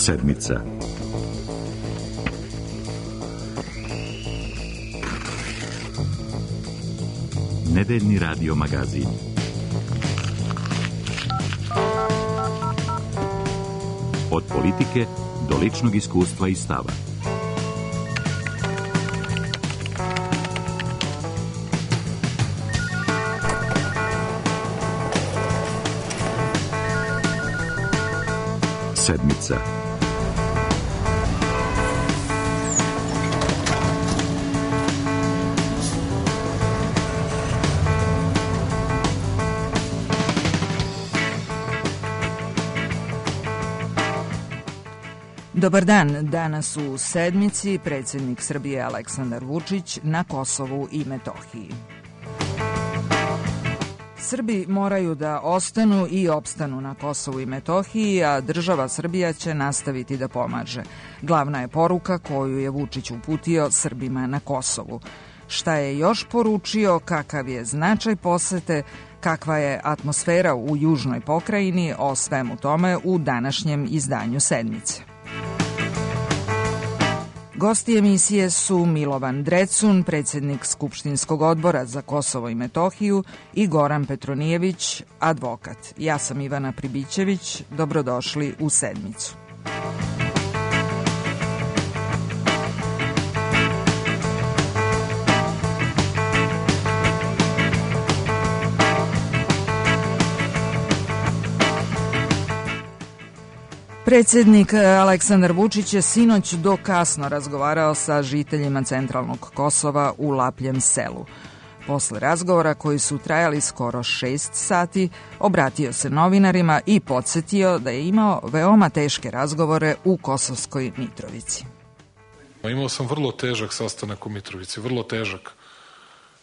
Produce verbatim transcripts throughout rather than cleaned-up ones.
Sedmica. Nedeljni radio magazin. Od politike do ličnog iskustva i stava. Sedmica. Dobar dan, danas u Sedmici predsjednik Srbije Aleksandar Vučić na Kosovu i Metohiji. Srbi moraju da ostanu i opstanu na Kosovu i Metohiji, a država Srbija će nastaviti da pomaže. Glavna je poruka koju je Vučić uputio Srbima na Kosovu. Šta je još poručio, kakav je značaj posete, kakva je atmosfera u južnoj pokrajini, o svemu tome u današnjem izdanju Sedmice. Gosti emisije su Milovan Drecun, predsjednik Skupštinskog odbora za Kosovo i Metohiju, i Goran Petronijević, advokat. Ja sam Ivana Pribićević, dobrodošli u Sedmicu. Predsjednik Aleksandar Vučić je sinoć do kasno razgovarao sa žiteljima centralnog Kosova u Lapljem selu. Posle razgovora, koji su trajali skoro šest sati, obratio se novinarima i podsjetio da je imao veoma teške razgovore u Kosovskoj Mitrovici. Imao sam vrlo težak sastanak u Mitrovici, vrlo težak.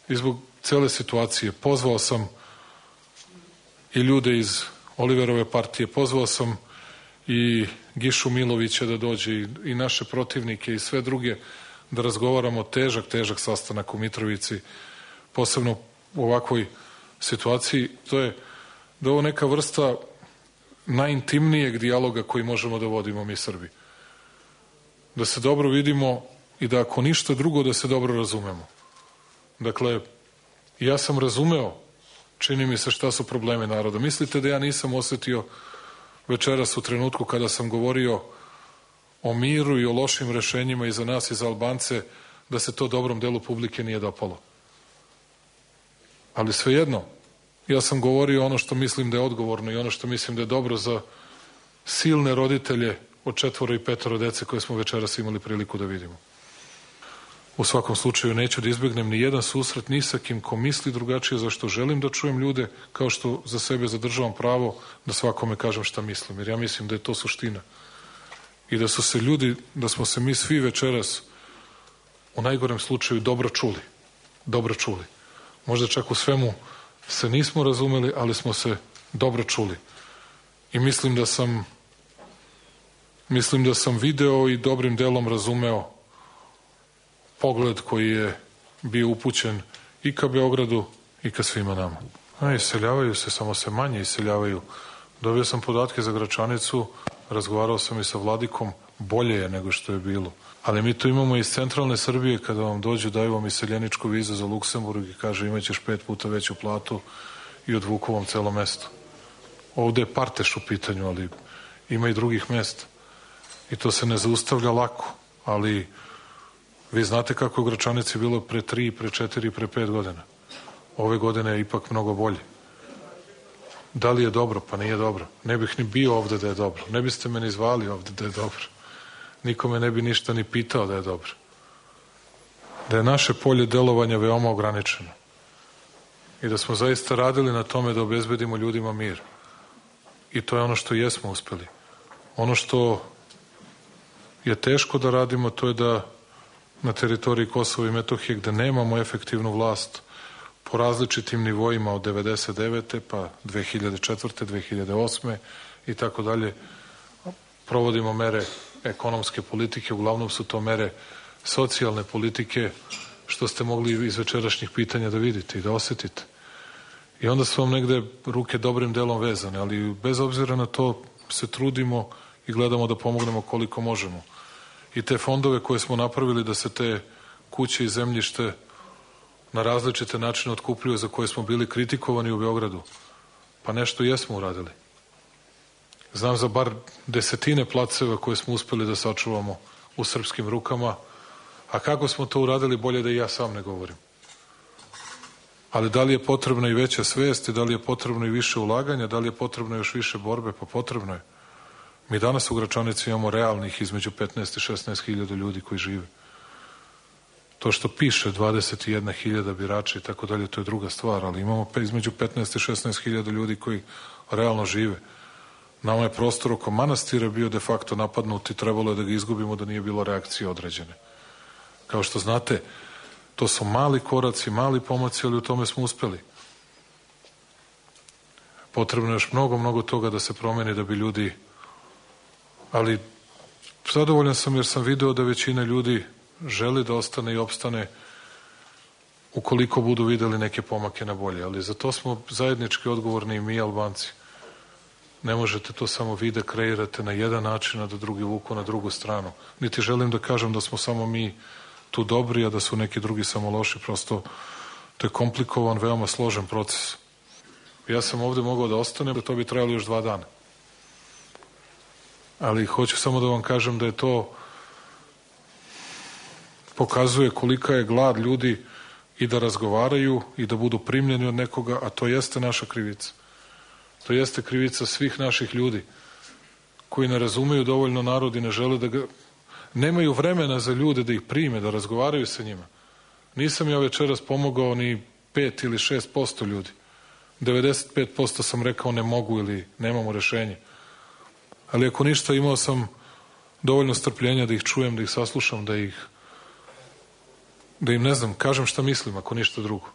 I zbog cele situacije pozvao sam i ljude iz Oliverove partije, pozvao sam i Gišu Milovića da dođe i naše protivnike i sve druge da razgovaramo. Težak, težak sastanak u Mitrovici, posebno u ovakvoj situaciji. To je da ovo neka vrsta najintimnijeg dijaloga koji možemo da vodimo mi Srbi. Da se dobro vidimo i da ako ništa drugo da se dobro razumemo. Dakle, ja sam razumeo, čini mi se, šta su problemi naroda. Mislite da ja nisam osetio večeras u trenutku kada sam govorio o miru i o lošim rešenjima i za nas i za Albance, da se to dobrom delu publike nije dopalo. Ali svejedno, ja sam govorio ono što mislim da je odgovorno i ono što mislim da je dobro za silne roditelje od četvoro i petoro dece koje smo večeras imali priliku da vidimo. U svakom slučaju neću da izbegnem ni jedan susret ni sa kim ko misli drugačije, zašto želim da čujem ljude, kao što za sebe zadržavam pravo da svakome kažem šta mislim, jer ja mislim da je to suština. I da su se ljudi, da smo se mi svi večeras u najgorem slučaju dobro čuli. Dobro čuli. Možda čak u svemu se nismo razumeli, ali smo se dobro čuli. I mislim da sam mislim da sam video i dobrim delom razumeo pogled koji je bio upućen i ka Beogradu i ka svima nama. A, iseljavaju se, samo se manje iseljavaju. Dobio sam podatke za Gračanicu, razgovarao sam i sa Vladikom, bolje je nego što je bilo. Ali mi to imamo iz centralne Srbije, kada vam dođu, daju vam iseljeničku vizu za Luksemburg i kaže imaćeš pet puta veću platu i odvuku vam celo mesto. Ovde je Parteš u pitanju, ali ima i drugih mesta. I to se ne zaustavlja lako, ali vi znate kako je u Gračanici bilo pre tri, pre četiri, pre pet godina. Ove godine je ipak mnogo bolje. Da li je dobro? Pa nije dobro. Ne bih ni bio ovde da je dobro. Ne biste me ni zvali ovde da je dobro. Nikome ne bi ništa ni pitao da je dobro. Da je naše polje delovanja veoma ograničeno. I da smo zaista radili na tome da obezbedimo ljudima mir. I to je ono što jesmo uspeli. Ono što je teško da radimo, to je da na teritoriji Kosova i Metohije, gde nemamo efektivnu vlast po različitim nivoima od devedeset devete pa dve hiljade četvrte dve hiljade osme i tako dalje, provodimo mere ekonomske politike, uglavnom su to mere socijalne politike, što ste mogli iz večerašnjih pitanja da vidite i da osetite. I onda su vam negde ruke dobrim delom vezane, ali bez obzira na to se trudimo i gledamo da pomognemo koliko možemo. I te fondove koje smo napravili da se te kuće i zemljište na različite načine otkupljuju za koje smo bili kritikovani u Beogradu, pa nešto jesmo uradili. Znam za bar desetine placeva koje smo uspeli da sačuvamo u srpskim rukama, a kako smo to uradili bolje da i ja sam ne govorim. Ali da li je potrebna i veća svest, da li je potrebno i više ulaganja, da li je potrebno još više borbe, pa potrebno je. Mi danas u Gračanici imamo realnih između petnaest i šesnaest hiljada ljudi koji žive. To što piše dvadeset jedna hiljada birača i tako dalje, to je druga stvar, ali imamo između petnaest i šesnaest hiljada ljudi koji realno žive. Nama je prostor oko manastira bio de facto napadnut i trebalo je da ga izgubimo da nije bilo reakcije određene. Kao što znate, to su mali koraci, mali pomaci, ali u tome smo uspeli. Potrebno je još mnogo, mnogo toga da se promeni da bi ljudi... Ali zadovoljan sam jer sam video da većina ljudi želi da ostane i opstane ukoliko budu videli neke pomake na bolje. Ali za to smo zajednički odgovorni i mi, Albanci. Ne možete to samo vi da kreirate na jedan način, a da drugi vuku na drugu stranu. Niti želim da kažem da smo samo mi tu dobri, a da su neki drugi samo loši. Prosto to je komplikovan, veoma složen proces. Ja sam ovde mogao da ostanem, da to bi trajalo još dva dana. Ali hoću samo da vam kažem da je to pokazuje kolika je glad ljudi i da razgovaraju i da budu primljeni od nekoga, a to jeste naša krivica. To jeste krivica svih naših ljudi koji ne razumeju dovoljno narod i ne žele da ga... Nemaju vremena za ljude da ih prime, da razgovaraju sa njima. Nisam ja večeras pomogao ni pet ili šest posto ljudi. devedeset pet posto sam rekao ne mogu ili nemamo rešenje. Ali ako ništa, imao sam dovoljno strpljenja da ih čujem, da ih saslušam, da ih da im, ne znam, kažem šta mislim, ako ništa drugo.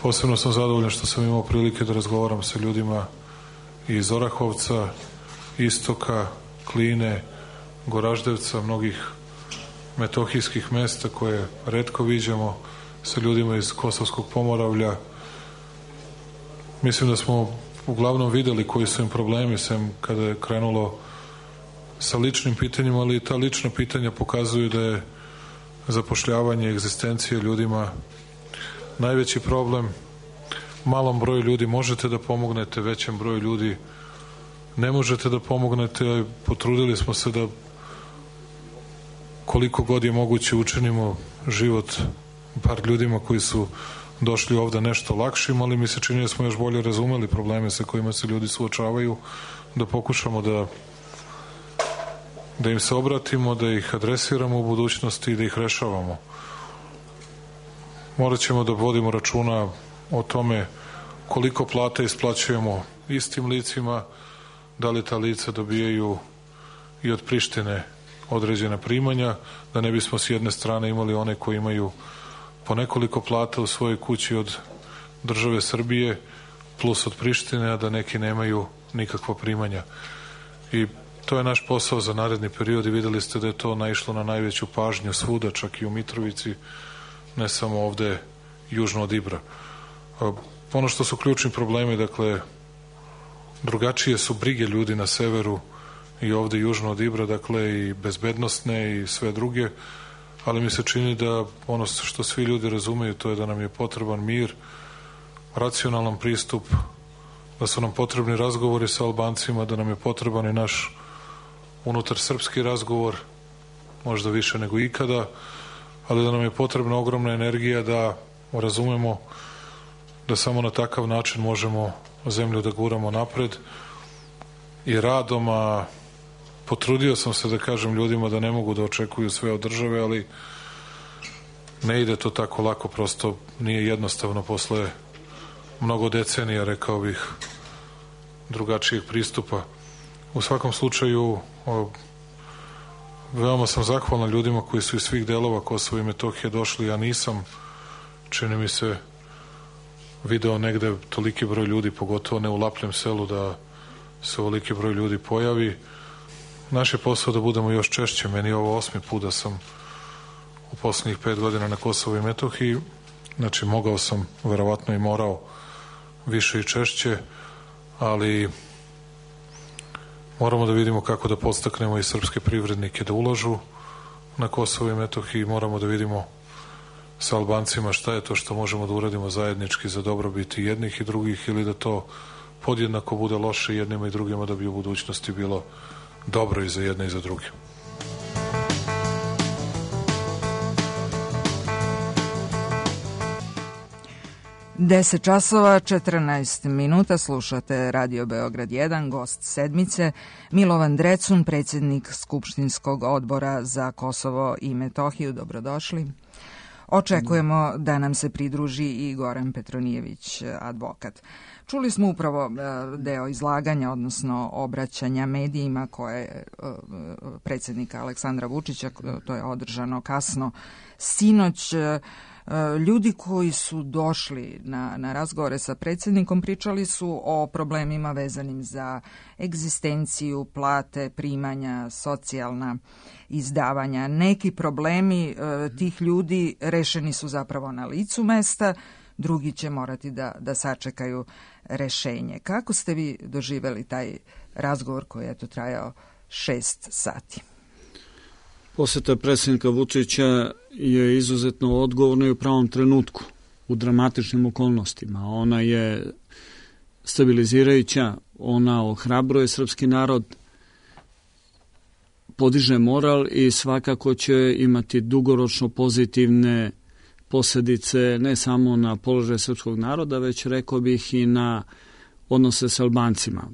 Posebno sam zadovoljan što sam imao prilike da razgovaram sa ljudima iz Orahovca, Istoka, Kline, Goraždevca, mnogih metohijskih mesta koje retko viđamo, sa ljudima iz Kosovskog Pomoravlja. Mislim da smo uglavnom videli koji su im problemi, sem kada je krenulo sa ličnim pitanjima, ali ta lična pitanja pokazuju da je zapošljavanje, egzistencije ljudima najveći problem. Malom broju ljudi možete da pomognete, većem broju ljudi ne možete da pomognete. Potrudili smo se da koliko god je moguće učinimo život par ljudima koji su došli ovde nešto lakšim, ali mi se čini da smo još bolje razumeli probleme sa kojima se ljudi suočavaju, da pokušamo da da im se obratimo, da ih adresiramo u budućnosti i da ih rešavamo. Morat ćemo da vodimo računa o tome koliko plata isplaćujemo istim licima, da li ta lica dobijaju i od Prištine određena primanja, da ne bismo s jedne strane imali one koji imaju po nekoliko plata u svojoj kući od države Srbije plus od Prištine, a da neki nemaju nikakva primanja. I to je naš posao za naredni period i videli ste da je to naišlo na najveću pažnju svuda, čak i u Mitrovici, ne samo ovde južno od Ibra. Ono što su ključni problemi, dakle, drugačije su brige ljudi na severu i ovde južno od Ibra, dakle, i bezbednostne i sve druge, ali mi se čini da ono što svi ljudi razumeju, to je da nam je potreban mir, racionalan pristup, da su nam potrebni razgovori sa Albancima, da nam je potreban i naš unutar srpski razgovor, možda više nego ikada, ali da nam je potrebna ogromna energija da razumemo da samo na takav način možemo zemlju da guramo napred i radom, a potrudio sam se da kažem ljudima da ne mogu da očekuju sve od države, ali ne ide to tako lako, prosto nije jednostavno posle mnogo decenija, rekao bih, drugačijeg pristupa. U svakom slučaju, o, veoma sam zahvalan ljudima koji su iz svih delova Kosova i Metohije došli. Ja nisam, čini mi se, video negde toliki broj ljudi, pogotovo ne u Lapljem selu, da se ovoliki broj ljudi pojavi. Naš je posao da budemo još češće. Meni je ovo osmi put da sam u poslednjih pet godina na Kosovu i Metohiji. Znači, mogao sam, verovatno i morao, više i češće, ali Moramo da vidimo kako da podstaknemo i srpske privrednike da ulažu na Kosovo i Metohiji. Moramo da vidimo sa Albancima šta je to što možemo da uradimo zajednički za dobrobit i jednih i drugih, ili da to podjednako bude loše jednima i drugima, da bi u budućnosti bilo dobro i za jedne i za druge. deset časova, četrnaest minuta, slušate Radio Beograd jedan, gost sedmice, Milovan Drecun, predsjednik Skupštinskog odbora za Kosovo i Metohiju. Dobrodošli. Očekujemo da nam se pridruži i Goran Petronijević, advokat. Čuli smo upravo deo izlaganja, odnosno obraćanja medijima koje je predsjednika Aleksandra Vučića, to je održano kasno sinoć. Ljudi koji su došli na, na razgovore sa predsjednikom pričali su o problemima vezanim za egzistenciju, plate, primanja, socijalna izdavanja. Neki problemi e, tih ljudi rešeni su zapravo na licu mesta, drugi će morati da, da sačekaju rešenje. Kako ste vi doživeli taj razgovor koji je to trajao šest sati? Poseta predsjednika Vučića je izuzetno odgovorna i u pravom trenutku, u dramatičnim okolnostima. Ona je stabilizirajuća, ona ohrabruje srpski narod, podiže moral i svakako će imati dugoročno pozitivne posljedice ne samo na položaj srpskog naroda, već rekao bih i na odnose sa Albancima.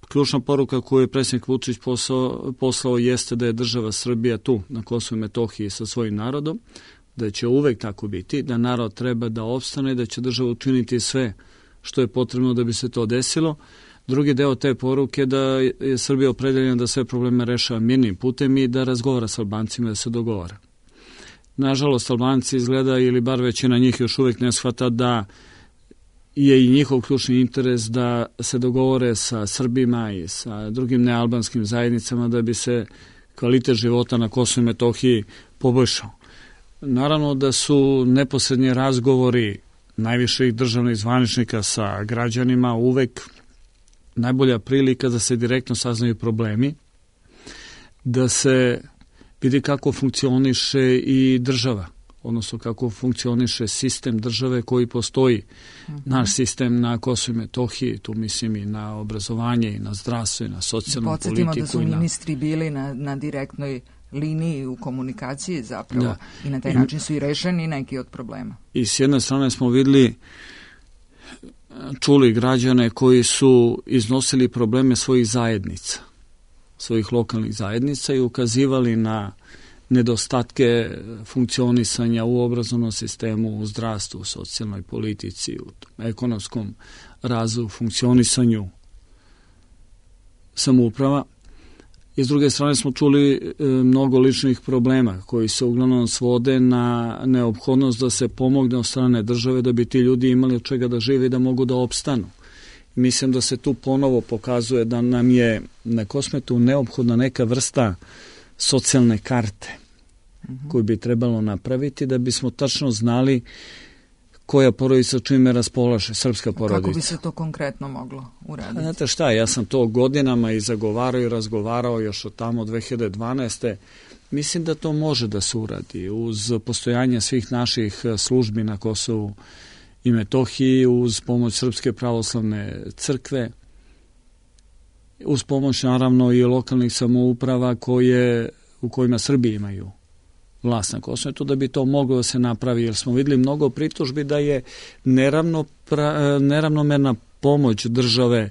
Ključna poruka koju je predsjednik Vučić poslao, poslao jeste da je država Srbija tu na Kosovu i Metohiji sa svojim narodom, da će uvek tako biti, da narod treba da opstane, da će država učiniti sve što je potrebno da bi se to desilo. Drugi deo te poruke da je Srbija opredeljena da sve probleme rešava mirnim putem i da razgovara sa Albancima, da se dogovara. Nažalost, Albanci izgleda, ili bar većina njih još uvek ne shvata da je i njihov ključni interes da se dogovore sa Srbima i sa drugim nealbanskim zajednicama da bi se kvalitet života na Kosovu i Metohiji poboljšao. Naravno da su neposrednji razgovori najviših državnih zvaničnika sa građanima uvek najbolja prilika da se direktno saznaju problemi, da se vidi kako funkcioniše i država, odnosno kako funkcioniše sistem države koji postoji. Uh-huh. Naš sistem na Kosovu i Metohiji, tu mislim i na obrazovanje, i na zdravstvo, i na socijalnu politiku. Podsjetimo da su ministri bili na, na direktnoj liniji u komunikaciji zapravo, da. I na taj I, način su i rešeni neki od problema. I s jedne strane smo videli, čuli građane koji su iznosili probleme svojih zajednica, svojih lokalnih zajednica i ukazivali na nedostatke funkcionisanja u obrazovnom sistemu, u zdravstvu, u socijalnoj politici, u ekonomskom razvoju, funkcionisanju samouprava. I s druge strane smo čuli mnogo ličnih problema koji se uglavnom svode na neophodnost da se pomogne od strane države da bi ti ljudi imali od čega da žive i da mogu da opstanu. Mislim da se tu ponovo pokazuje da nam je na Kosmetu neophodna neka vrsta socijalne karte uh-huh. koju bi trebalo napraviti da bismo tačno znali koja porodica čime raspolaže, srpska porodica. Kako bi se to konkretno moglo uraditi? Znate šta, ja sam to godinama i zagovarao i razgovarao još od tamo dve hiljade dvanaeste. Mislim da to može da se uradi uz postojanje svih naših službi na Kosovu i Metohiji, uz pomoć Srpske pravoslavne crkve, uz pomoć naravno i lokalnih samouprava koje, u kojima Srbi imaju vlast na Kosovu, to da bi to moglo da se napravi, jer smo videli mnogo pritužbi da je neravno, pra, neravnomerna pomoć države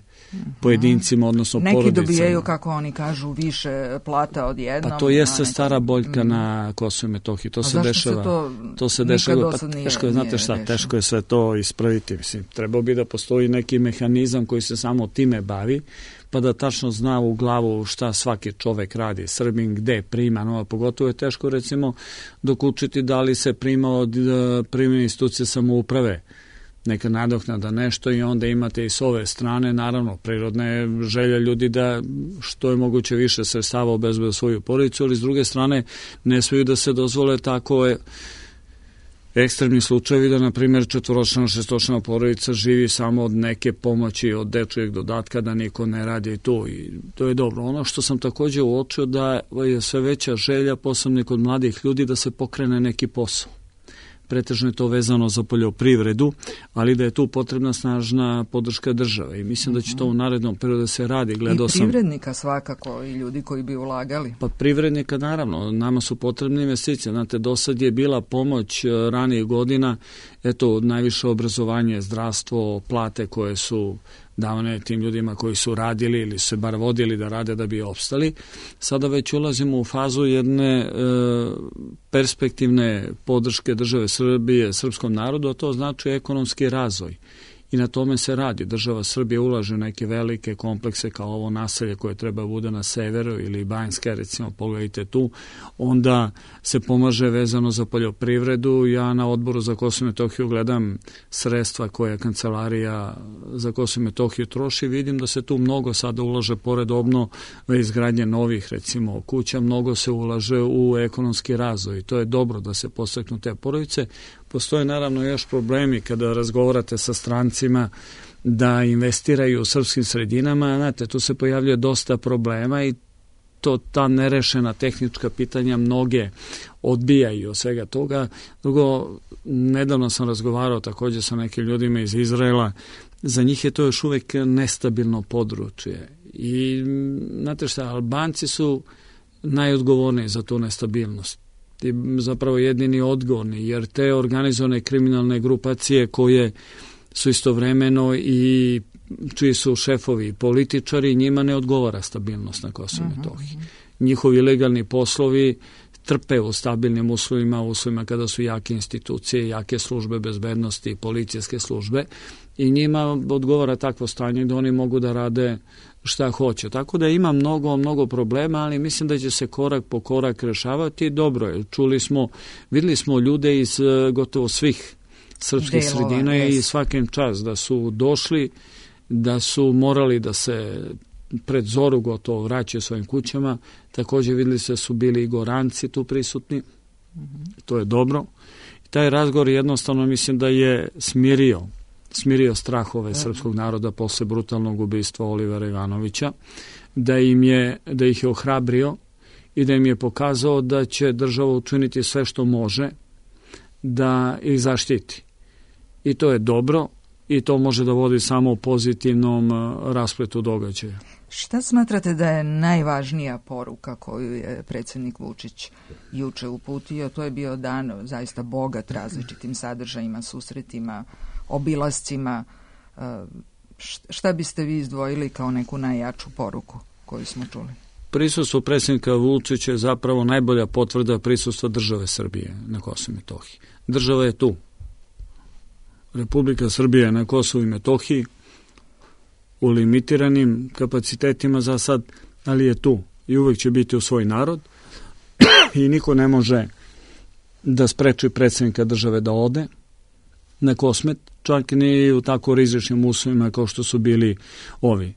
pojedincima, odnosno neki porodicama. Neki dobijaju, kako oni kažu, više plata odjednom. Pa to jeste stara boljka mm. na Kosovu i Metohiji. To a se dešava. Se to, to se dešava. Pa teško je, znate šta, rešeno. Teško je sve to ispraviti. Mislim, trebao bi da postoji neki mehanizam koji se samo time bavi, pa da tačno zna u glavu šta svaki čovek radi, Srbin, gde prima, no, pogotovo je teško recimo dokučiti da li se prima od primljene institucije samouprave neka nadoknada nešto i onda imate i s ove strane, naravno, prirodna je želja ljudi da što je moguće više sredstava obezbede svoju porodicu, ali s druge strane ne smiju da se dozvole tako je ekstremni slučajevi da, na primjer, četvoročlana, šestočlana porodica živi samo od neke pomoći, od dečijeg dodatka, da niko ne radi to i to je dobro. Ono što sam takođe uočio da je sve veća želja, posebno kod mladih ljudi, da se pokrene neki posao. Pretežno je to vezano za poljoprivredu, ali da je tu potrebna snažna podrška države i mislim da će to u narednom periodu da se radi. Gledao I privrednika sam, svakako i ljudi koji bi ulagali. Pa privrednika naravno, nama su potrebne investicije. Znate, do sad je bila pomoć ranijih godina, eto, najviše obrazovanje, zdravstvo, plate koje su davane tim ljudima koji su radili ili se bar vodili da rade da bi opstali. Sada već ulazimo u fazu jedne e, perspektivne podrške države Srbije srpskom narodu, a to znači ekonomski razvoj. I na tome se radi. Država Srbije ulaže neke velike komplekse kao ovo naselje koje treba bude na severu ili Banjska, recimo, pogledajte tu, onda se pomaže vezano za poljoprivredu. Ja na odboru za Kosovo i Metohiju gledam sredstva koje kancelarija za Kosovo i Metohiju troši, vidim da se tu mnogo sada ulaže pored obnove izgradnje novih, recimo, kuća, mnogo se ulaže u ekonomski razvoj i to je dobro da se postaknu te porodice. Postoje naravno još problemi kada razgovarate sa strancima da investiraju u srpskim sredinama. Znate, tu se pojavljuje dosta problema i to ta nerešena tehnička pitanja mnoge odbijaju od svega toga. Drugo, nedavno sam razgovarao također sa nekim ljudima iz Izraela. Za njih je to još uvek nestabilno područje. I znate šta, Albanci su najodgovorniji za tu nestabilnost. I zapravo jedini odgovorni, jer te organizovane kriminalne grupacije koje su istovremeno i čiji su šefovi i političari, njima ne odgovara stabilnost na Kosovu i Metohiji. Njihovi legalni poslovi trpe u stabilnim uslovima, uslovima kada su jake institucije, jake službe bezbednosti, policijske službe i njima odgovara takvo stanje da oni mogu da rade šta hoće. Tako da ima mnogo, mnogo problema, ali mislim da će se korak po korak rešavati. Dobro je, čuli smo, videli smo ljude iz gotovo svih srpskih Delova, sredina yes. i svakim čas da su došli, da su morali da se pred zoru gotovo vraćaju svojim kućama. Također videli se su bili i Goranci tu prisutni. Mm-hmm. To je dobro. I taj razgovor jednostavno mislim da je smirio smirio strahove srpskog naroda posle brutalnog ubistva Olivera Ivanovića, da im je, da ih je ohrabrio i da im je pokazao da će država učiniti sve što može da ih zaštiti. I to je dobro i to može da vodi samo u pozitivnom raspletu događaja. Šta smatrate da je najvažnija poruka koju je predsjednik Vučić juče uputio? To je bio dan zaista bogat različitim sadržajima, susretima, obilascima. Šta biste vi izdvojili kao neku najjaču poruku koju smo čuli? Prisustvo predsjednika Vučića je zapravo najbolja potvrda prisustva države Srbije na Kosovu i Metohiji. Država je tu. Republika Srbije na Kosovu i Metohiji u limitiranim kapacitetima za sad, ali je tu i uvek će biti u svoj narod i niko ne može da spreči predsjednika države da ode na Kosmet, čak ni u tako rizičnim uslovima kao što su bili ovi.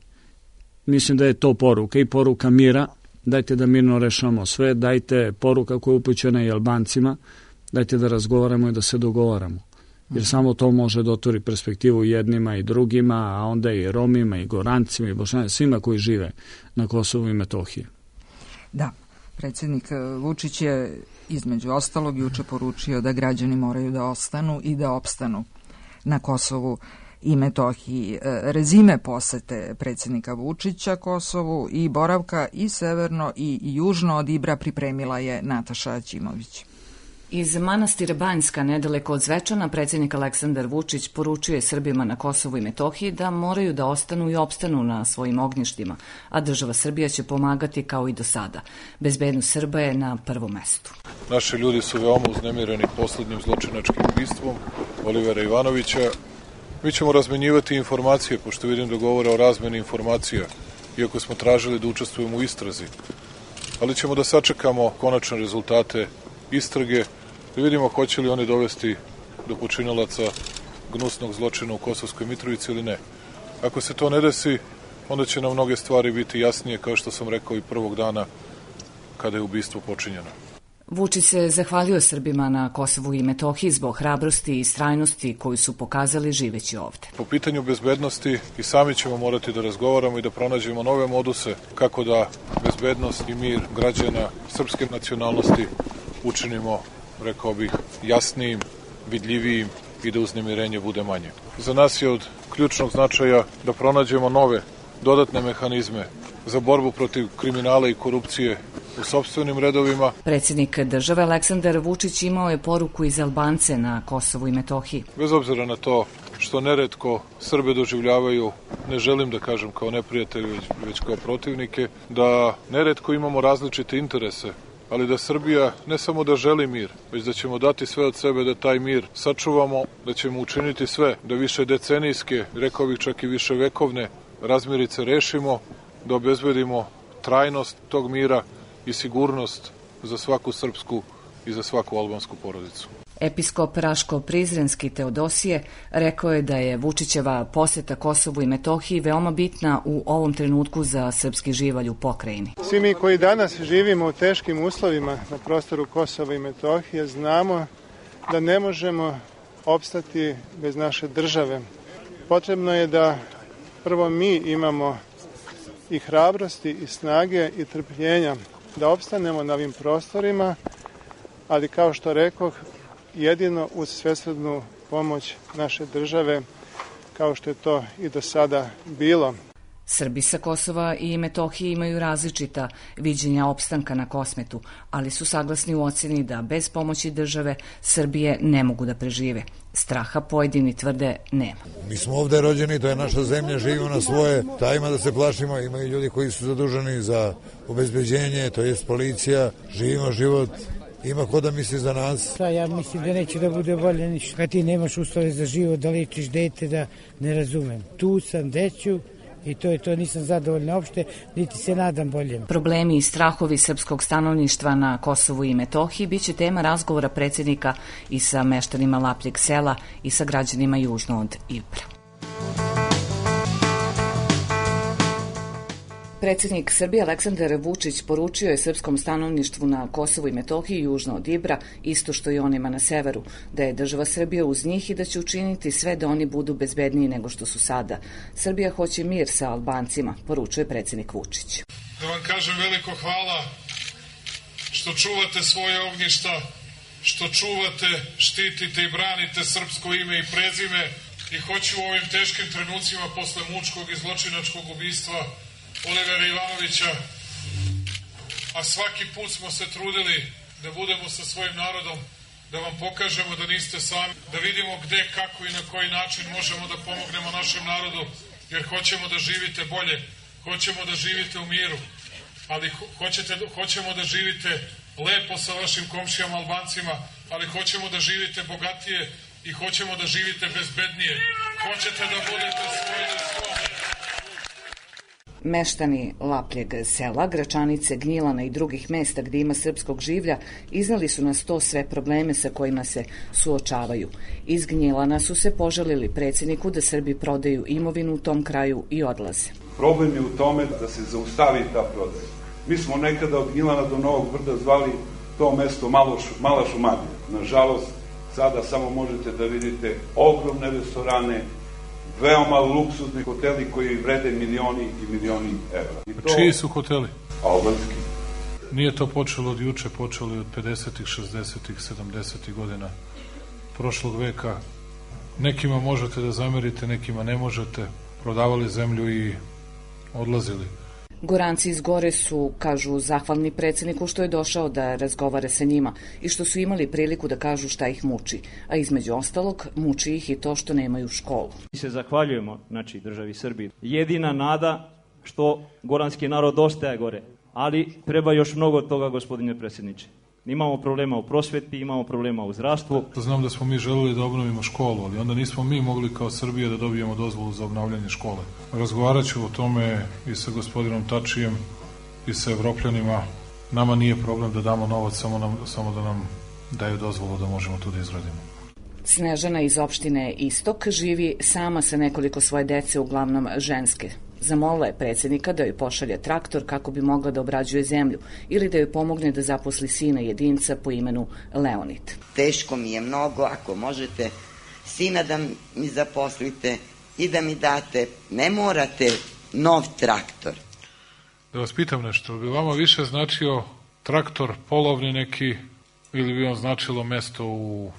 Mislim da je to poruka i poruka mira, dajte da mirno rešamo sve, dajte poruka koja je upućena i Albancima, dajte da razgovaramo i da se dogovaramo. Jer samo to može da otvori perspektivu jednima i drugima, a onda i Romima i Gorancima i Bošnjacima, svima koji žive na Kosovu i Metohiji. Da, predsjednik Vučić je između ostalog juče poručio da građani moraju da ostanu i da opstanu na Kosovu i Metohiji. Rezime posete predsjednika Vučića Kosovu i boravka i severno i južno od Ibra pripremila je Nataša Aćimović. Iz manastira Banjska, nedaleko od Zvečana, predsjednik Aleksandar Vučić poručuje Srbima na Kosovu i Metohiji da moraju da ostanu i opstanu na svojim ognjištima, a država Srbija će pomagati kao i do sada. Bezbednost Srba je na prvom mestu. Naši ljudi su veoma uznemireni poslednjim zločinačkim ubistvom Olivera Ivanovića. Mi ćemo razmenjivati informacije, pošto vidim da govore o razmeni informacija, iako smo tražili da učestvujemo u istrazi. Ali ćemo da sačekamo konačne rezultate istrage i vidimo hoće li oni dovesti do počinalaca gnusnog zločina u Kosovskoj Mitrovici ili ne. Ako se to ne desi, onda će nam mnoge stvari biti jasnije, kao što sam rekao i prvog dana kada je ubistvo počinjeno. Vučić se zahvalio Srbima na Kosovu i Metohiji zbog hrabrosti i istrajnosti koju su pokazali živeći ovde. Po pitanju bezbednosti i sami ćemo morati da razgovaramo i da pronađemo nove moduse kako da bezbednost i mir građana srpske nacionalnosti učinimo, rekao bih, jasnijim, vidljivijim i da uznemirenje bude manje. Za nas je od ključnog značaja da pronađemo nove, dodatne mehanizme za borbu protiv kriminala i korupcije u sopstvenim redovima. Predsjednik države Aleksandar Vučić imao je poruku iz Albance na Kosovu i Metohiji. Bez obzira na to što neretko Srbe doživljavaju, ne želim da kažem kao neprijatelji, već, već kao protivnike, da neretko imamo različite interese, ali da Srbija ne samo da želi mir, već da ćemo dati sve od sebe da taj mir sačuvamo, da ćemo učiniti sve da više decenijske, rekao bih čak i više vekovne razmirice rešimo, da obezbedimo trajnost tog mira i sigurnost za svaku srpsku i za svaku albansku porodicu. Episkop Raško-Prizrenski Teodosije rekao je da je Vučićeva poseta Kosovu i Metohiji veoma bitna u ovom trenutku za srpski živalj u pokrajini. Svi mi koji danas živimo u teškim uslovima na prostoru Kosova i Metohije znamo da ne možemo opstati bez naše države. Potrebno je da prvo mi imamo i hrabrosti i snage i trpljenja da opstanemo na ovim prostorima, ali kao što rekoh, jedino uz svesrdnu pomoć naše države, kao što je to i do sada bilo. Srbi sa Kosova i Metohije imaju različita viđenja opstanka na Kosmetu, ali su saglasni u ocjeni da bez pomoći države Srbije ne mogu da prežive. Straha pojedini tvrde nema. Mi smo ovde rođeni, to je naša zemlja, živimo na svoje, da ima da se plašimo, imaju ljudi koji su zaduženi za obezbeđenje, to je policija, živimo život. Ima ko da misli za nas? Ja mislim da neće da bude bolje ništa. Kad ti nemaš uslove za život, da lečiš dete, da ne razumem. Tu sam, deću, i to je to, nisam zadovoljna uopšte, niti se nadam boljem. Problemi i strahovi srpskog stanovništva na Kosovu i Metohiji biće tema razgovora predsjednika i sa meštanima Lapljeg sela i sa građanima južno od Ibra. Predsjednik Srbije Aleksandar Vučić poručio je srpskom stanovništvu na Kosovu i Metohiji južno od Ibra, isto što i onima na severu, da je država Srbija uz njih i da će učiniti sve da oni budu bezbedniji nego što su sada. Srbija hoće mir sa Albancima, poručuje predsjednik Vučić. Da vam kažem veliko hvala što čuvate svoje ognjišta, što čuvate, štitite i branite srpsko ime i prezime i hoću u ovim teškim trenucima posle mučkog i zločinačkog ubistva Olivera Ivanovića, a svaki put smo se trudili da budemo sa svojim narodom, da vam pokažemo da niste sami, da vidimo gde, kako i na koji način možemo da pomognemo našem narodu, jer hoćemo da živite bolje, hoćemo da živite u miru, ali hoćete, hoćemo da živite lepo sa vašim komšijama Albancima, ali hoćemo da živite bogatije i hoćemo da živite bezbednije. Hoćete da budete svoji na svom. Meštani Lapljeg sela, Gračanice, Gnjilana i drugih mesta gdje ima srpskog življa iznali su na sto sve probleme sa kojima se suočavaju. Iz Gnjilana su se požalili predsjedniku da Srbi prodaju imovinu u tom kraju i odlaze. Problem je u tome da se zaustavi ta prodaja. Mi smo nekada od Gnjilana do Novog Brda zvali to mesto malo šu, Mala Šumadija. Nažalost, sada samo možete da vidite ogromne restorane, veoma luksuzni hoteli koji vrede milioni i milioni evra. I to... Čiji su hoteli? Albanski. Nije to počelo od juče, počelo je od pedesetih, šezdesetih, sedamdesetih godina prošlog veka. Nekima možete da zamerite, nekima ne možete. Prodavali zemlju i odlazili. Goranci iz Gore su, kažu, zahvalni predsjedniku što je došao da razgovara sa njima i što su imali priliku da kažu šta ih muči, a između ostalog muči ih i to što nemaju školu. Mi se zahvaljujemo, znači, državi Srbiji. Jedina nada što goranski narod ostaje gore, ali treba još mnogo toga, gospodine predsjedniče. Imamo problema u prosveti, imamo problema u zdravstvu. Znam da smo mi želeli da obnovimo školu, ali onda nismo mi mogli kao Srbija da dobijemo dozvolu za obnavljanje škole. Razgovarat ću o tome i sa gospodinom Tačijem i sa Evropljanima. Nama nije problem da damo novac, samo, nam, samo da nam daju dozvolu da možemo to da izradimo. Snežana iz opštine Istok živi sama sa nekoliko svoje dece, uglavnom ženske. Zamolila je predsjednika da joj pošalje traktor kako bi mogla da obrađuje zemlju ili da joj pomogne da zaposli sina jedinca po imenu Leonid. Teško mi je mnogo, ako možete sina da mi zaposlite i da mi date, ne morate nov traktor. Da vas pitam nešto, bi vama više značio traktor polovni neki ili bi vam značilo mesto u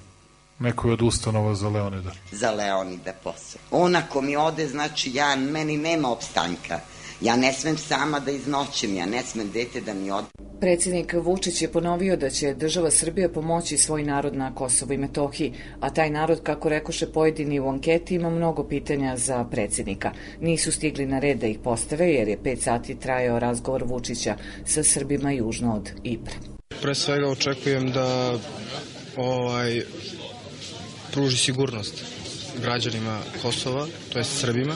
nekoj od ustanova za Leonida? Za Leonida posao. On ako mi ode, znači ja, meni nema opstanka. Ja ne smem sama da iznoćem, ja ne smem dete da mi ode. Predsjednik Vučić je ponovio da će država Srbija pomoći svoj narod na Kosovu i Metohiji, a taj narod, kako rekoše pojedini u anketi, ima mnogo pitanja za predsjednika. Nisu stigli na red da ih postave jer je pet sati trajao razgovor Vučića sa Srbima južno od Ibra. Pre svega očekujem da ovaj, pruži sigurnost građanima Kosova, to je Srbima.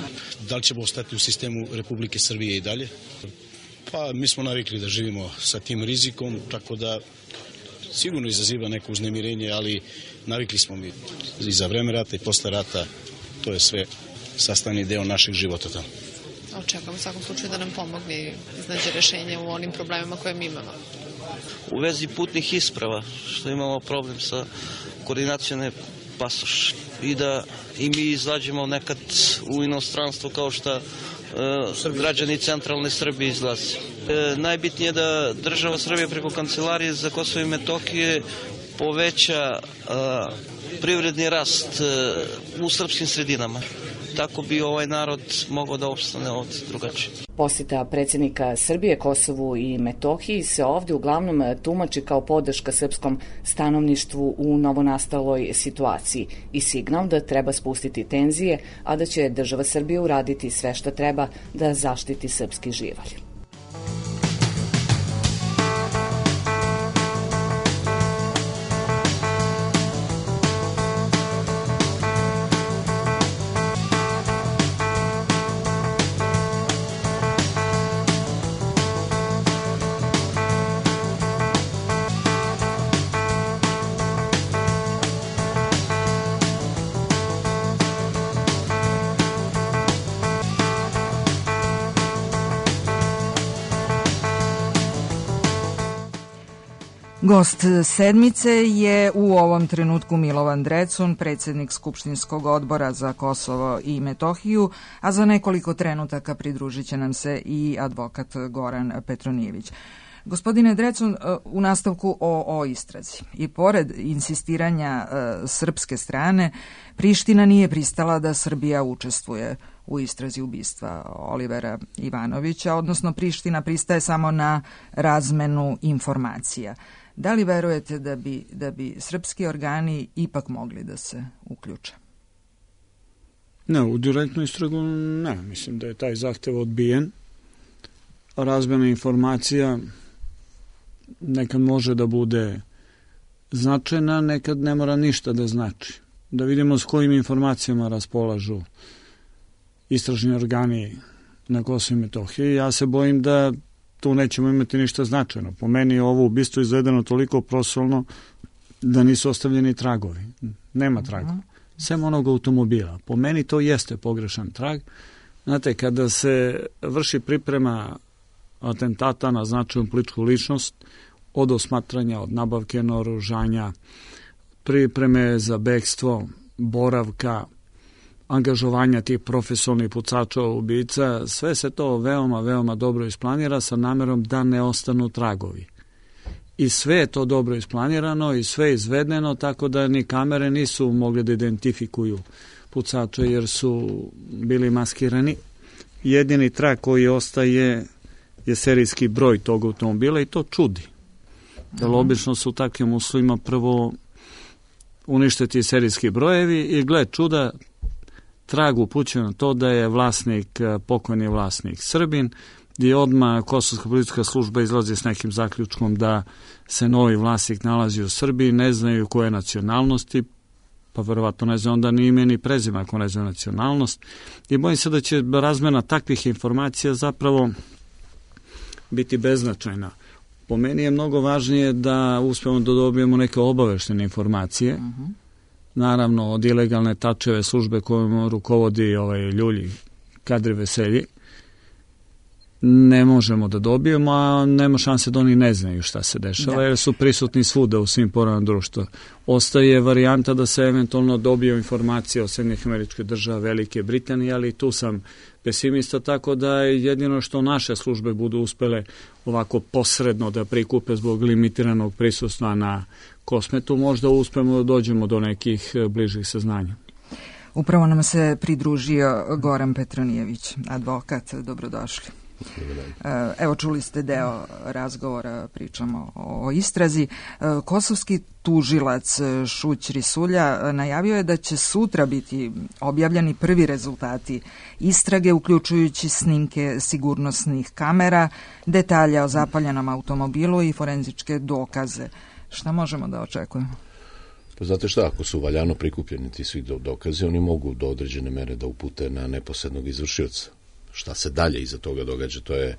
Da li ćemo ostati u sistemu Republike Srbije i dalje? Pa mi smo navikli da živimo sa tim rizikom, tako da sigurno izaziva neko uznemirenje, ali navikli smo mi i za vreme rata i posle rata, to je sve sastavni deo našeg života tamo. Očekujemo u svakom slučaju da nam pomogne i iznađe rešenje u onim problemima koje mi imamo. U vezi putnih isprava, što imamo problem sa koordinacijone pasoš i da i mi izađemo nekad u inostranstvo kao što e, građani centralne Srbije izlaze. E, najbitnije je da država Srbije preko Kancelarije za Kosovo i Metohije poveća e, privredni rast e, u srpskim sredinama. Tako bi ovaj narod mogao da opstane ovdje drugačije. Posjeta predsjednika Srbije Kosovu i Metohiji se ovdje uglavnom tumači kao podrška srpskom stanovništvu u novonastaloj situaciji i signal da treba spustiti tenzije, a da će država Srbija uraditi sve što treba da zaštiti srpski živalj. Gost sedmice je u ovom trenutku Milovan Drecun, predsjednik Skupštinskog odbora za Kosovo i Metohiju, a za nekoliko trenutaka pridružit će nam se i advokat Goran Petronijević. Gospodine Drecun, u nastavku o, o istrazi. I pored insistiranja e, srpske strane, Priština nije pristala da Srbija učestvuje u istrazi ubistva Olivera Ivanovića, odnosno Priština pristaje samo na razmenu informacija. Da li verujete da bi, da bi srpski organi ipak mogli da se uključe? Ne, u direktnu istragu ne. Mislim da je taj zahtev odbijen. Razmena informacija nekad može da bude značajna, nekad ne mora ništa da znači. Da vidimo s kojim informacijama raspolažu istražni organi na Kosovu i Metohiji. Ja se bojim da tu nećemo imati ništa značajno. Po meni je ovo ubistvo izvedeno toliko prosolno da nisu ostavljeni tragovi. Nema traga. Sem onog automobila. Po meni to jeste pogrešan trag. Znate, kada se vrši priprema atentata na značajnu političku ličnost, od osmatranja, od nabavke naoružanja, pripreme za bekstvo, boravka, angažovanja tih profesionalnih pucača ubica, sve se to veoma, veoma dobro isplanira sa namerom da ne ostanu tragovi. I sve je to dobro isplanirano i sve izvedeno, tako da ni kamere nisu mogli da identifikuju pucače jer su bili maskirani. Jedini trag koji ostaje je serijski broj tog automobila i to čudi. Jer obično su u takvim uslovima prvo uništiti serijski brojevi i gled čuda, trag upućuje na to da je vlasnik, pokojni vlasnik Srbin, gdje odmah Kosovska policijska služba izlazi s nekim zaključkom da se novi vlasnik nalazi u Srbiji, ne znaju koje nacionalnosti, pa verovatno ne znaju onda ni ime ni prezime ako ne znaju nacionalnost. I bojim se da će razmena takvih informacija zapravo biti beznačajna. Po meni je mnogo važnije da uspemo da dobijemo neke obaveštene informacije, uh-huh. naravno od ilegalne tačeve službe kojom rukovodi ovaj Ljulji Kadri Veselji, ne možemo da dobijemo, a nema šanse da oni ne znaju šta se dešava, da. jer su prisutni svuda u svim poravama društva. Ostaje varijanta da se eventualno dobiju informacije o Sjedinjenih Američkih Država, Velike Britanije, ali tu sam pesimista, tako da jedino što naše službe budu uspele ovako posredno da prikupe zbog limitiranog prisustva na Kosmetu, možda uspemo da dođemo do nekih bližih saznanja. Upravo nam se pridružio Goran Petronijević, advokat. Dobrodošli. Evo, čuli ste deo razgovora, pričamo o istrazi. Kosovski tužilac Šuć Risulja najavio je da će sutra biti objavljeni prvi rezultati istrage, uključujući snimke sigurnosnih kamera, detalje o zapaljenom automobilu i forenzičke dokaze. Šta možemo da očekujemo? Pa znate šta, ako su valjano prikupljeni ti svi dokaze, oni mogu do određene mere da upute na neposrednog izvršioca. Šta se dalje iza toga događa, to je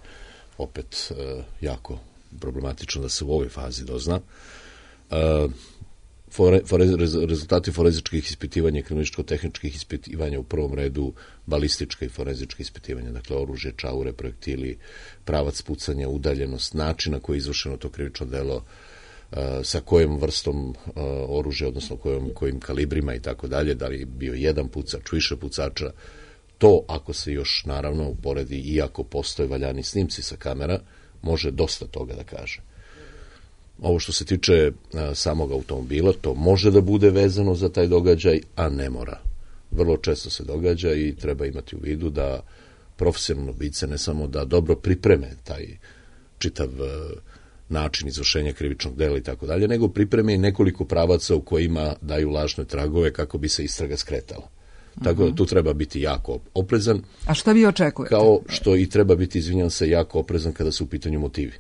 opet e, jako problematično da se u ovoj fazi dozna. E, fore, fore, rezultati forenzičkih ispitivanja i kriminalističko-tehničkih ispitivanja, u prvom redu balistička i forenzička ispitivanja, dakle oružje, čaure, projektili, pravac pucanja, udaljenost, načina koji je izvršeno to krivično delo, sa kojom vrstom oružja, odnosno kojom, kojim kalibrima i tako dalje, da li je bio jedan pucač, više pucača. To, ako se još naravno uporedi, iako postoje valjani snimci sa kamera, može dosta toga da kaže. Ovo što se tiče a, samog automobila, to može da bude vezano za taj događaj, a ne mora. Vrlo često se događa i treba imati u vidu da profesionalno ubice ne samo da dobro pripreme taj čitav a, način izvršenja krivičnog dela i tako dalje, nego pripreme i nekoliko pravaca u kojima daju lažne tragove kako bi se istraga skretala. Tako da tu treba biti jako oprezan. A šta vi očekujete? Kao što i treba biti, izvinjam se, jako oprezan kada su u pitanju motivi.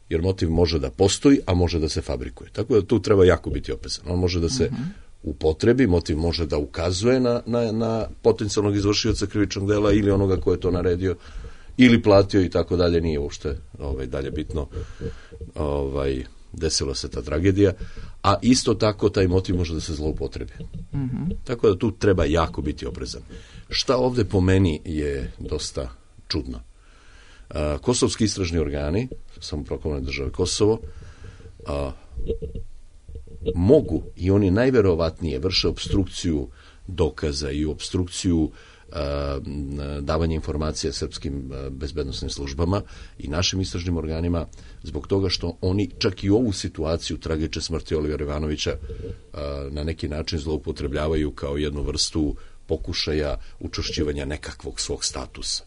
Jer motiv može da postoji, a može da se fabrikuje. Tako da tu treba jako biti oprezan. On može da se uh-huh. upotrebi, motiv može da ukazuje na, na, na potencijalnog izvršioca krivičnog dela ili onoga ko je to naredio ili platio i tako dalje, nije uopšte ovaj, dalje bitno. Ovaj, desila se ta tragedija, a isto tako taj motiv može da se zloupotrebi. Mm-hmm. Tako da tu treba jako biti oprezan. Šta ovde po meni je dosta čudno? A, kosovski istražni organi, samoproklamljene države Kosovo, a, mogu i oni najverovatnije vrše opstrukciju dokaza i opstrukciju davanje informacija srpskim bezbednosnim službama i našim istražnim organima zbog toga što oni čak i ovu situaciju tragične smrti Olivera Ivanovića na neki način zloupotrebljavaju kao jednu vrstu pokušaja učvršćivanja nekakvog svog statusa.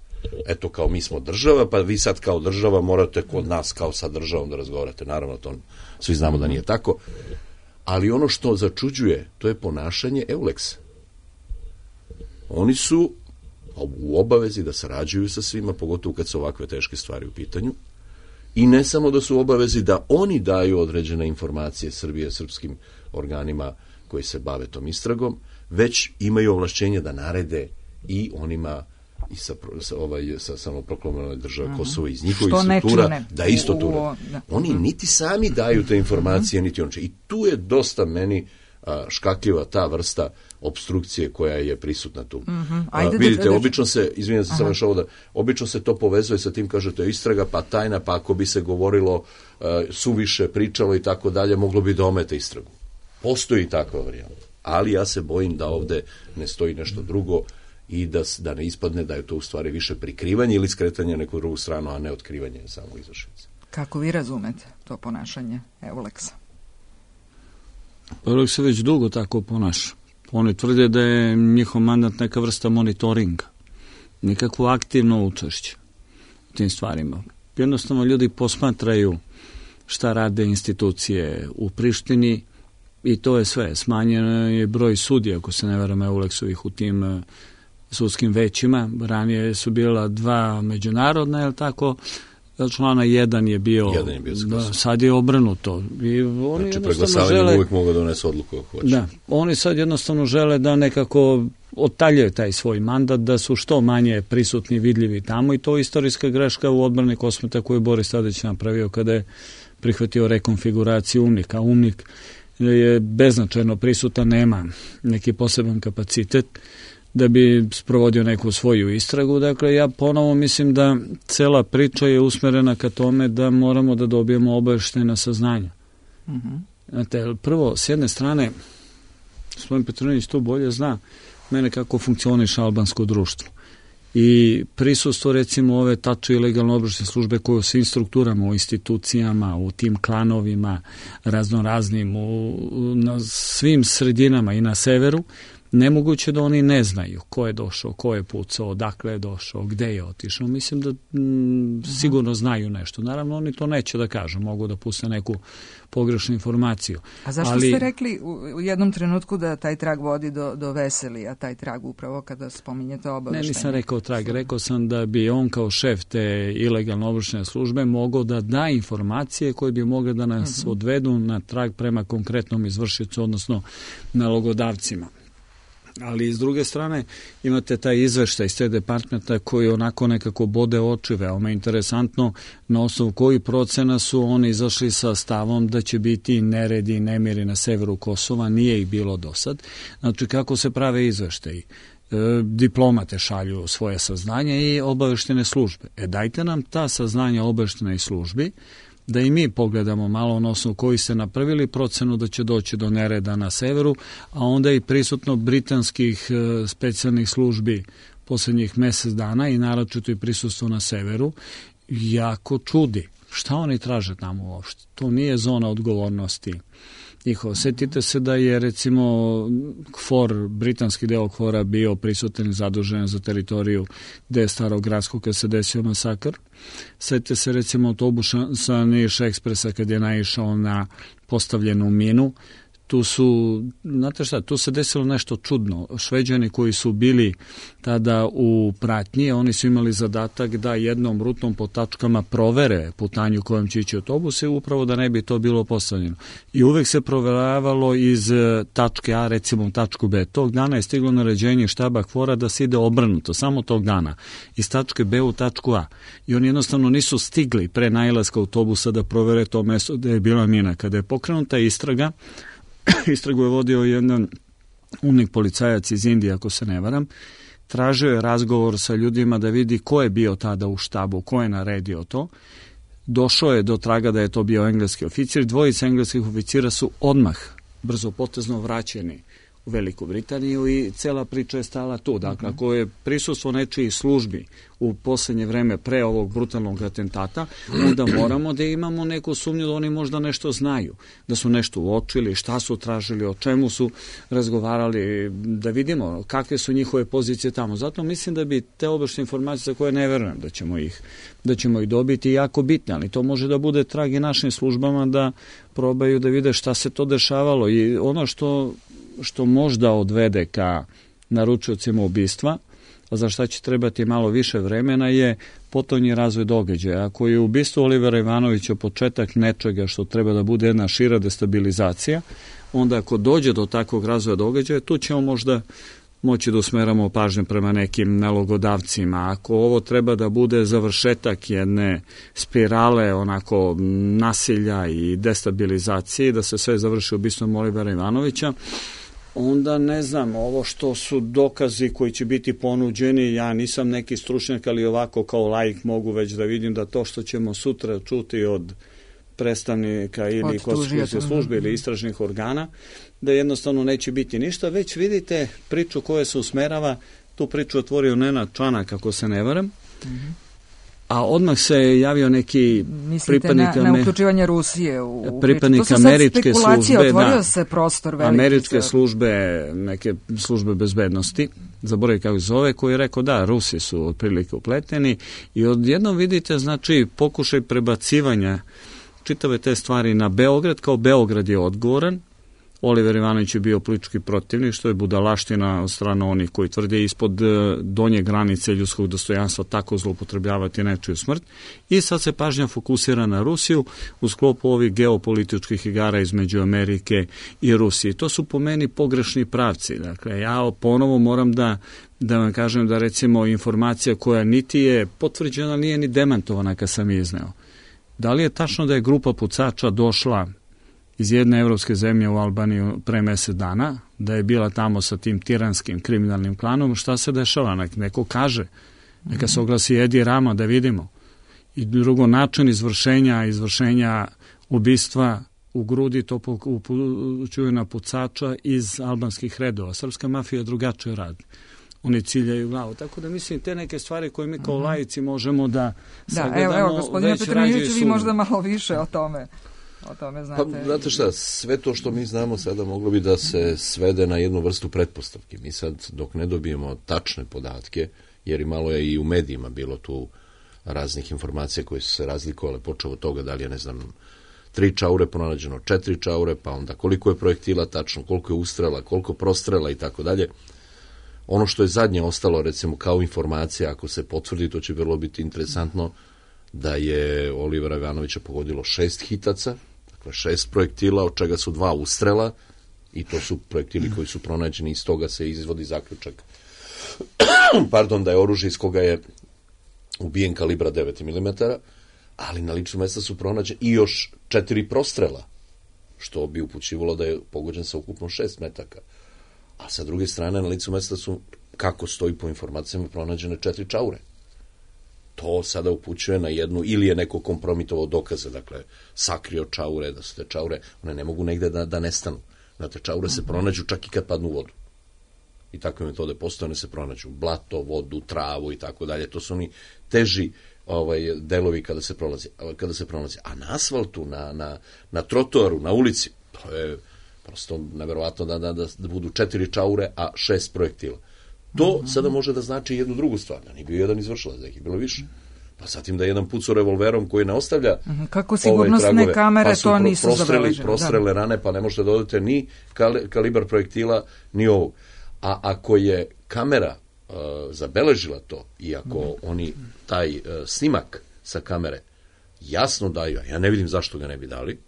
Eto, kao mi smo država, pa vi sad kao država morate kod nas kao sa državom da razgovarate. Naravno, to svi znamo da nije tako. Ali ono što začuđuje, to je ponašanje Euleksa. Oni su u obavezi da sarađuju sa svima, pogotovo kad su ovakve teške stvari u pitanju. I ne samo da su u obavezi da oni daju određene informacije Srbije, srpskim organima koji se bave tom istragom, već imaju ovlašćenje da narede i onima i sa, sa, ovaj, sa samoproklamljenoj države uh-huh. Kosovo iz njihovih struktura da isto tu rade. Oni niti sami daju te informacije, uh-huh. niti on će. I tu je dosta meni a, škakljiva ta vrsta opstrukcije koja je prisutna tu. Mm-hmm. Ajde, vidite, da, da, obično se, izvinjam se samo što ovo da, obično se to povezuje sa tim, kažete, istraga, pa tajna, pa ako bi se govorilo uh, suviše, pričalo i tako dalje, moglo bi da omete istragu. Postoji takva varijanta. Ali ja se bojim da ovde ne stoji nešto drugo i da, da ne ispadne da je to u stvari više prikrivanje ili skretanje na neku drugu stranu, a ne otkrivanje samog izvršenja. Kako vi razumete to ponašanje Euleksa? Euleks se već dugo tako ponaša. Oni tvrde da je njihov mandat neka vrsta monitoringa, nikakvo aktivno učešće u tim stvarima. Jednostavno ljudi posmatraju šta rade institucije u Prištini i to je sve. Smanjen je broj sudija, ako se ne varam, Euleksovih u tim sudskim većima. Ranije su bila dva međunarodna, je li tako? Člana jedan je bio, jedan je bio da, sad je obrnuto. I oni znači, preglasavanjem žele, uvijek mogu da donesu odluku ako hoće. Da, oni sad jednostavno žele da nekako otaljaju taj svoj mandat, da su što manje prisutni, vidljivi tamo i to je istorijska greška u odbrani Kosmeta koju je Boris Tadić napravio kada je prihvatio rekonfiguraciju UMNIK-a. UMNIK je beznačajno prisutan, nema neki poseban kapacitet. da bi sprovodio neku svoju istragu. Dakle, ja ponovo mislim da cela priča je usmerena ka tome da moramo da dobijemo obaveštena saznanja. Mm-hmm. Znate, prvo, s jedne strane, gospodin Petronić tu bolje zna mene kako funkcioniše albansko društvo. I prisustvo, recimo, ove tačno ilegalno obaveštajne službe koje u svim strukturama, u institucijama, u tim klanovima raznoraznim, u, na svim sredinama i na severu, nemoguće da oni ne znaju ko je došao, ko je pucao, odakle je došao, gde je otišao. Mislim da m, sigurno znaju nešto. Naravno, oni to neće da kažu, mogu da puste neku pogrešnu informaciju. A zašto ali, ste rekli u jednom trenutku da taj trag vodi do, do Veselija, taj trag upravo kada spominjete obaveštenje? Ne, nisam rekao trag, rekao sam da bi on kao šef te ilegalno obaveštajne službe mogao da da informacije koje bi mogle da nas uh-huh. odvedu na trag prema konkretnom izvršiocu, odnosno nalogodavcima. Ali s druge strane imate taj izveštaj iz te departmenta koji onako nekako bode oči, veoma interesantno, na osnovu koji procena su oni izašli sa stavom da će biti neredi i nemiri na severu Kosova, nije ih bilo do sad. Znači kako se prave izveštaji? E, diplomate šalju svoje saznanje i obaveštene službe. E dajte nam ta saznanja obaveštenej službi, da i mi pogledamo malo na osnovu koji ste napravili procenu da će doći do nereda na severu, a onda i prisutno britanskih e, specijalnih službi poslednjih mesec dana i naročito i prisustvo na severu, jako čudi. Šta oni traže tamo uopšte? To nije zona odgovornosti njihovo. Sjetite se da je recimo KFOR, britanski deo KFOR-a bio prisutan i zadužen za teritoriju gde je Starog Gradskog kad se desio masakr. Sjetite se recimo autobusa sa Niš Ekspresa kad je naišao na postavljenu minu. Tu su, znate šta, tu se desilo nešto čudno. Šveđani koji su bili tada u pratnji, oni su imali zadatak da jednom rutom po tačkama provere putanju kojom će ići autobus i upravo da ne bi to bilo postavljeno. I uvek se proveravalo iz tačke A, recimo tačku B. Tog dana je stiglo naređenje štaba KFOR-a da se ide obrnuto, samo tog dana, iz tačke B u tačku A. I oni jednostavno nisu stigli pre nailaska autobusa da provere to mesto gde je bila mina. Kada je pokrenuta istraga, istragu je vodio jedan umnik policajac iz Indije, ako se ne varam, tražio je razgovor sa ljudima da vidi ko je bio tada u štabu, ko je naredio to. Došao je do traga da je to bio engleski oficir. Dvojica engleskih oficira su odmah brzo potezno vraćeni u Veliku Britaniju i cela priča je stala tu. Dakle, ako je prisustvo nečijih službi u poslednje vreme pre ovog brutalnog atentata, onda moramo da imamo neku sumnju da oni možda nešto znaju, da su nešto uočili, šta su tražili, o čemu su razgovarali, da vidimo kakve su njihove pozicije tamo. Zato mislim da bi te obaveštene informacije za koje ne verujem da ćemo ih, da ćemo ih dobiti jako bitne, ali to može da bude trag i našim službama da probaju da vide šta se to dešavalo i ono što što možda odvede ka naručiocima ubistva, a za šta će trebati malo više vremena, je potonji razvoj događaja. Ako je ubistvo Olivera Ivanovića početak nečega što treba da bude jedna šira destabilizacija, onda ako dođe do takvog razvoja događaja, tu ćemo možda moći da usmeramo pažnju prema nekim nalogodavcima. Ako ovo treba da bude završetak jedne spirale onako nasilja i destabilizacije, da se sve završi ubistvom Olivera Ivanovića, onda ne znam, ovo što su dokazi koji će biti ponuđeni, ja nisam neki stručnjak, ali ovako kao laik mogu već da vidim da to što ćemo sutra čuti od predstavnika ili konstitucijske službe ili istražnih organa, da jednostavno neće biti ništa, već vidite priču koja se usmerava, tu priču otvorio Nenad Čanak, ako se ne varam, mm-hmm. a odmah se javio neki Mislite pripadnika na, na uključivanje Rusije u pripadnik američke službe, otvorio da, se prostor veliki. Američke službe, neke službe bezbednosti, zaboravim kako zove, koji je rekao da, Rusi su otprilike upleteni i odjednom vidite, znači, pokušaj prebacivanja čitave te stvari na Beograd, kao Beograd je odgovoran. Oliver Ivanović je bio politički protivnik, što je budalaština od strane onih koji tvrde ispod donje granice ljudskog dostojanstva tako zloupotrebljavati nečiju smrt. I sad se pažnja fokusira na Rusiju u sklopu ovih geopolitičkih igara između Amerike i Rusije. To su po meni pogrešni pravci. Dakle, ja ponovo moram da da vam kažem da recimo informacija koja niti je potvrđena, nije ni demantovana kad sam izneo. Da li je tačno da je grupa pucača došla iz jedne evropske zemlje u Albaniju pre mesec dana, da je bila tamo sa tim tiranskim kriminalnim klanom, šta se dešava? Nek neko kaže, neka se oglasi Edi Rama da vidimo. I drugo, način izvršenja, izvršenja ubistva u grudi, to upućuju na pucača iz albanskih redova. Srpska mafija drugačije radi. Oni ciljaju glavu. Tako da mislim, te neke stvari koje mi kao laici možemo da sagledamo. Da, evo, evo gospodine Petronijeviću, vi možda malo više o tome. O tome znate. Pa, znate šta, sve to što mi znamo sada moglo bi da se svede na jednu vrstu pretpostavke. Mi sad, dok ne dobijemo tačne podatke, jer i malo je i u medijima bilo tu raznih informacija koje su se razlikovale, počeo od toga da li je, ne znam, tri čaure pronađeno, četiri čaure, pa onda koliko je projektila tačno, koliko je ustrela, koliko prostrela i tako dalje. Ono što je zadnje ostalo, recimo, kao informacija, ako se potvrdi, to će vrlo biti interesantno, da je Olivera Ivanovića pogodilo šest hitaca, dakle šest projektila, od čega su dva ustrela, i to su projektili koji su pronađeni, iz toga se izvodi zaključak pardon, da je oružje iz koga je ubijen kalibra devet milimetara, ali na ličnom mjestu su pronađeni i još četiri prostrela, što bi upućivalo da je pogođen sa ukupno šest metaka. A sa druge strane, na licu mjesta su, kako stoji po informacijama, pronađene četiri čaure. To sada upućuje na jednu, ili je neko kompromitovao dokaze, dakle, sakrio čaure, da su te čaure, one ne mogu negde da, da nestanu. Znate, čaure se pronađu čak i kad padnu u vodu. I takve metode postoje, one se pronađu. Blato, vodu, travu i tako dalje. To su oni teži ovaj, delovi kada se prolazi. Kada se prolazi. A na asfaltu, na, na, na trotoaru, na ulici, to je prosto neverovatno da, da, da budu četiri čaure, a šest projektila. To sada može da znači jednu drugu stvar, da nije bio jedan izvršilac, da ih je bilo više. Pa zatim da je jedan pucao revolverom koji ne ostavlja kako sigurnosne tragove, kamere pa su to nisu prostreli, zabeležene. prostrele rane, pa ne možete da odete ni kalibar projektila, ni ovog. A ako je kamera uh, zabeležila to i ako mm. oni taj uh, snimak sa kamere jasno daju, ja ne vidim zašto ga ne bi dali,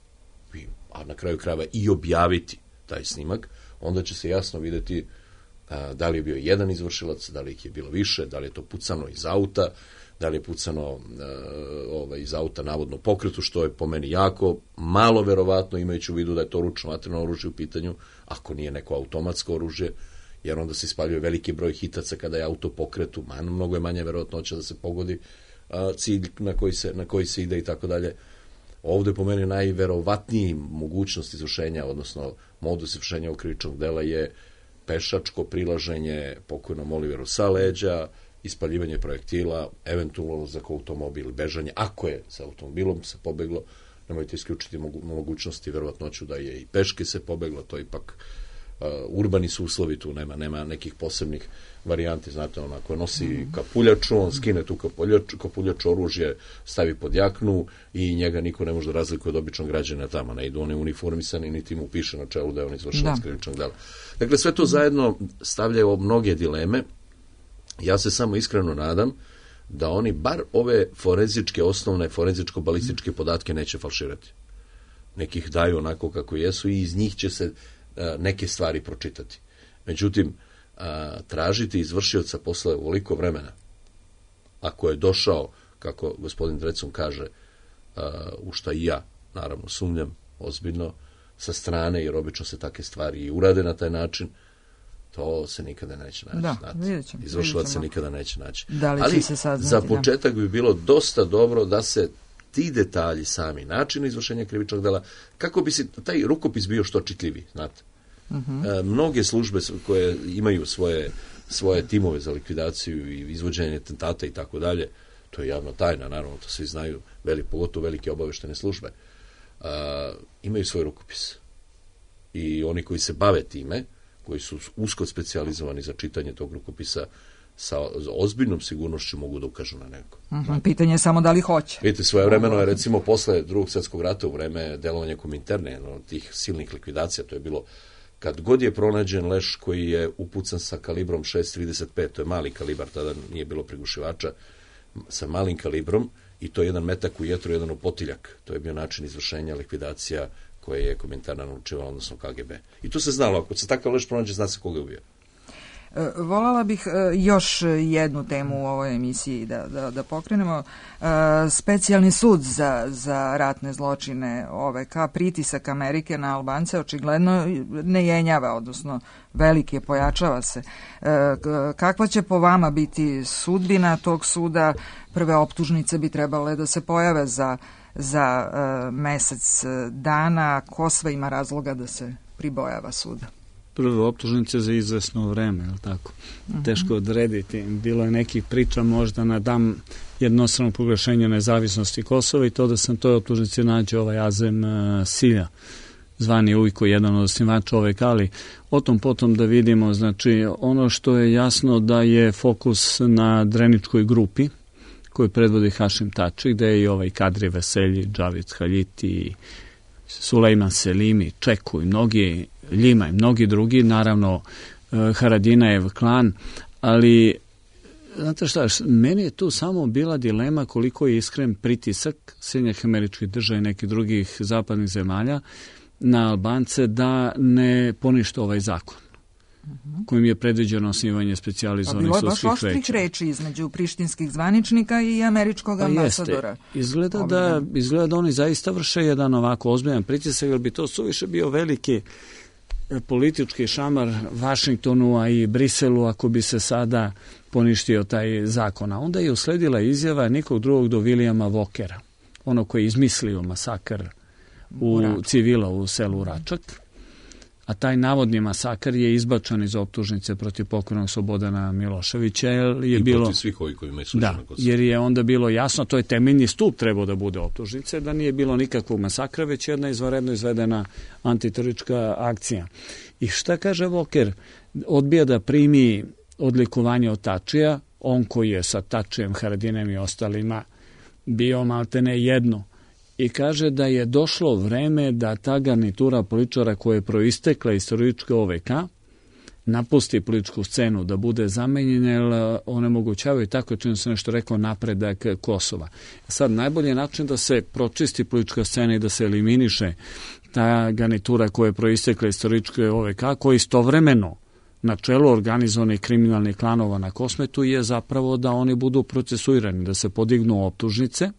a na kraju krajeva i objaviti taj snimak, onda će se jasno vidjeti a, da li je bio jedan izvršilac, da li ih je bilo više, da li je to pucano iz auta, da li je pucano a, ovaj, iz auta navodno pokretu, što je po meni jako malo verovatno, imajući u vidu da je to ručno vatreno oružje u pitanju, ako nije neko automatsko oružje, jer onda se ispaljuje veliki broj hitaca kada je auto pokretu, man, mnogo je manje verovatnoća da se pogodi a, cilj na koji se, na koji se ide i tako dalje. Ovdje po meni najverovatniji mogućnost izvršenja, odnosno modus izvršenja krivičnog dela je pešačko prilaženje pokojnom Oliveru sa leđa, ispaljivanje projektila, eventualno za automobil, bežanje, ako je sa automobilom se pobeglo, nemojte isključiti mogućnosti, verovatnoću da je i peške se pobeglo, to je ipak uh, urbani su uslovi, tu nema, nema nekih posebnih varijanti, znate, on ako nosi kapuljaču, on skine tu kapuljaču, kapuljaču oružje, stavi pod jaknu i njega niko ne može da razlikuje od običnog građana tamo, ne idu oni uniformisani, niti mu piše na čelu da je on izvršilac krivičnog dela. Dakle, sve to zajedno stavljaju mnoge dileme. Ja se samo iskreno nadam da oni bar ove forenzičke, osnovne forenzičko-balističke podatke neće falširati. Nekih daju onako kako jesu i iz njih će se uh, neke stvari pročitati. Međutim, a, tražiti izvršioca posle ovoliko vremena, ako je došao, kako gospodin Drecun kaže, a, u šta i ja, naravno, sumnjam ozbiljno, sa strane, jer obično se takve stvari i urade na taj način, to se nikada neće naći. Da, vidjet ćemo. Izvršilac se nikada neće naći. Da li ali se saznati, za početak da. bi bilo dosta dobro da se ti detalji sami, način izvršenja krivičnog dela, kako bi se taj rukopis bio što čitljiviji, znate. Uh-huh. E, mnoge službe koje imaju svoje, svoje timove za likvidaciju i izvođenje atentata i tako dalje, to je javno tajna, naravno, to svi znaju, veli, pogotovo velike obaveštene službe, e, imaju svoj rukopis. I oni koji se bave time, koji su usko specijalizovani za čitanje tog rukopisa, sa ozbiljnom sigurnošću mogu da ukažu na neko. Uh-huh. Pitanje je samo da li hoće. Vidite, svoje vremeno je, recimo, posle drugog svjetskog rata, u vreme delovanja Kominterne, jedno od tih silnih likvidacija, to je bilo kad god je pronađen leš koji je upucan sa kalibrom šest trideset pet, to je mali kalibar, tada nije bilo prigušivača, sa malim kalibrom, i to je jedan metak u jetru, jedan u potiljak. To je bio način izvršenja likvidacija koje je Kominterna naučivala, odnosno K G B. I to se znalo, ako se takav leš pronađe, zna se koga je ubio. Volala bih još jednu temu u ovoj emisiji da, da, da pokrenemo. Specijalni sud za, za ratne zločine O V K, pritisak Amerike na Albance očigledno ne jenjava, odnosno veliki je, pojačava se. Kakva će po vama biti sudbina tog suda? Prve optužnice bi trebale da se pojave za, za mesec dana. Ko sve ima razloga da se pribojava suda? Prve optužnice za izvesno vreme, je li tako? Uh-huh. Teško odrediti. Bilo je nekih priča možda na dan jednostrano proglašenja nezavisnosti Kosova i to da sam toj optužnici nađe ovaj Azem uh, Silja, zvani Ujko, jedan od osnivača O V K, ali o tom potom da vidimo, znači ono što je jasno da je fokus na Dreničkoj grupi koju predvodi Hašim Tači, gde je i ovaj Kadri Veselji, Džavid Haljiti, Sulejman Selimi, Čeku i mnogi, Ljima i mnogi drugi, naravno Haradinajev klan, ali znate šta, meni je tu samo bila dilema koliko je iskren pritisak Sjedinjenih Američkih Država i nekih drugih zapadnih zemalja na Albance da ne ponište ovaj zakon kojim je predviđeno osnivanje specijalizovanih sudskih veća. Bilo je baš oštrih reči između prištinskih zvaničnika i američkog ambasadora. Pa izgleda da, izgleda da oni zaista vrše jedan ovako ozbiljan pritisak, jer bi to suviše bio veliki politički šamar Vašingtonu, a i Briselu ako bi se sada poništio taj zakon. A onda je usledila izjava nikog drugog do Vilijama Walkera, ono koji je izmislio masakr u civila u selu Račak. A taj navodni masakar je izbačan iz optužnice protiv pokojnog Slobodana Miloševića. Jer je I bilo, protiv svih ovih koji imaju slučajno da, kod sebe. jer je onda bilo jasno, to je temeljni stup trebao da bude optužnice, da nije bilo nikakvog masakra, već jedna izvanredno izvedena antiteroristička akcija. I šta kaže Walker? Odbija da primi odlikovanje od Tačija, on koji je sa Tačijem, Haradinem i ostalima bio maltene jedno. I kaže da je došlo vreme da ta garnitura političara koja je proistekla iz terorističke O V K napusti političku scenu, da bude zamenjena, jer onemogućavaju, tako čini se nešto rekao, napredak Kosova. Sad, najbolji način da se pročisti politička scena i da se eliminiše ta garnitura koja je proistekla iz terorističke O V K, koja istovremeno na čelu organizovanih kriminalnih klanova na Kosmetu, je zapravo da oni budu procesuirani, da se podignu optužnice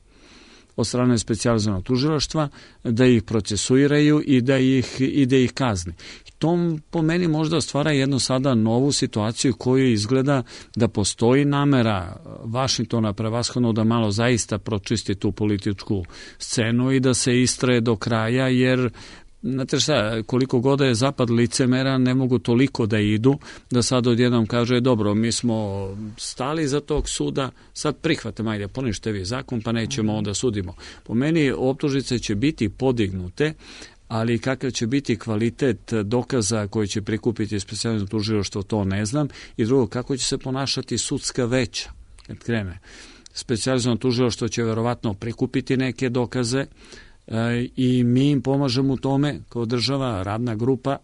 od strane specijalizovanog tužilaštva, da ih procesuiraju i da ih, i da ih kazni. I to po meni možda stvara jednu sada novu situaciju koju izgleda da postoji namera Vašingtona prevashodno da malo zaista pročisti tu političku scenu i da se istraje do kraja, jer znate šta, koliko god je zapad licemera, ne mogu toliko da idu, da sad odjednom kaže, dobro, mi smo stali za tog suda, sad prihvatimo, ajde, ponište vi zakon, pa nećemo onda sudimo. Po meni optužnice će biti podignute, ali kakav će biti kvalitet dokaza koji će prikupiti specijalno tužilaštvo, to ne znam. I drugo, kako će se ponašati sudska veća kad krene. Specijalizovano tužilaštvo će verovatno prikupiti neke dokaze, i mi im pomažemo u tome kao država, radna grupa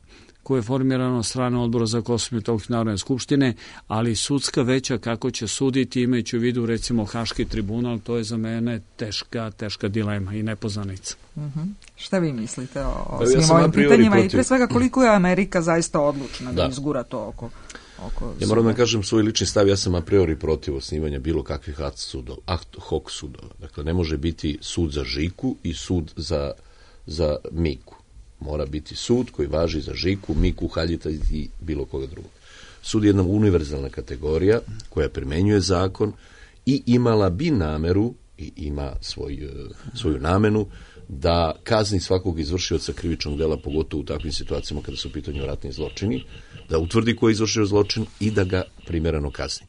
koja je formirana od strane Odbora za Kosovo i Metohiju Narodne skupštine, ali sudska veća kako će suditi, imajući u vidu recimo Haški tribunal, to je za mene teška, teška dilema i nepoznanica. Uh-huh. Šta vi mislite o, o pa, svim ja ovim pitanjima protiv... i pre svega koliko je Amerika zaista odlučna da, da izgura to oko... Ja moram da kažem svoj lični stav, ja sam a priori protiv osnivanja bilo kakvih ad sudova, ad hoc sudova. Dakle, ne može biti sud za Žiku i sud za, za Miku. Mora biti sud koji važi za Žiku, Miku, Haljita i bilo koga drugog. Sud je jedna univerzalna kategorija koja primenjuje zakon i imala bi nameru i ima svoj, svoju namenu da kazni svakog izvršioca krivičnog dela, pogotovo u takvim situacijama kada su u pitanju ratni zločini, da utvrdi ko je izvršio zločin i da ga primjereno kazni.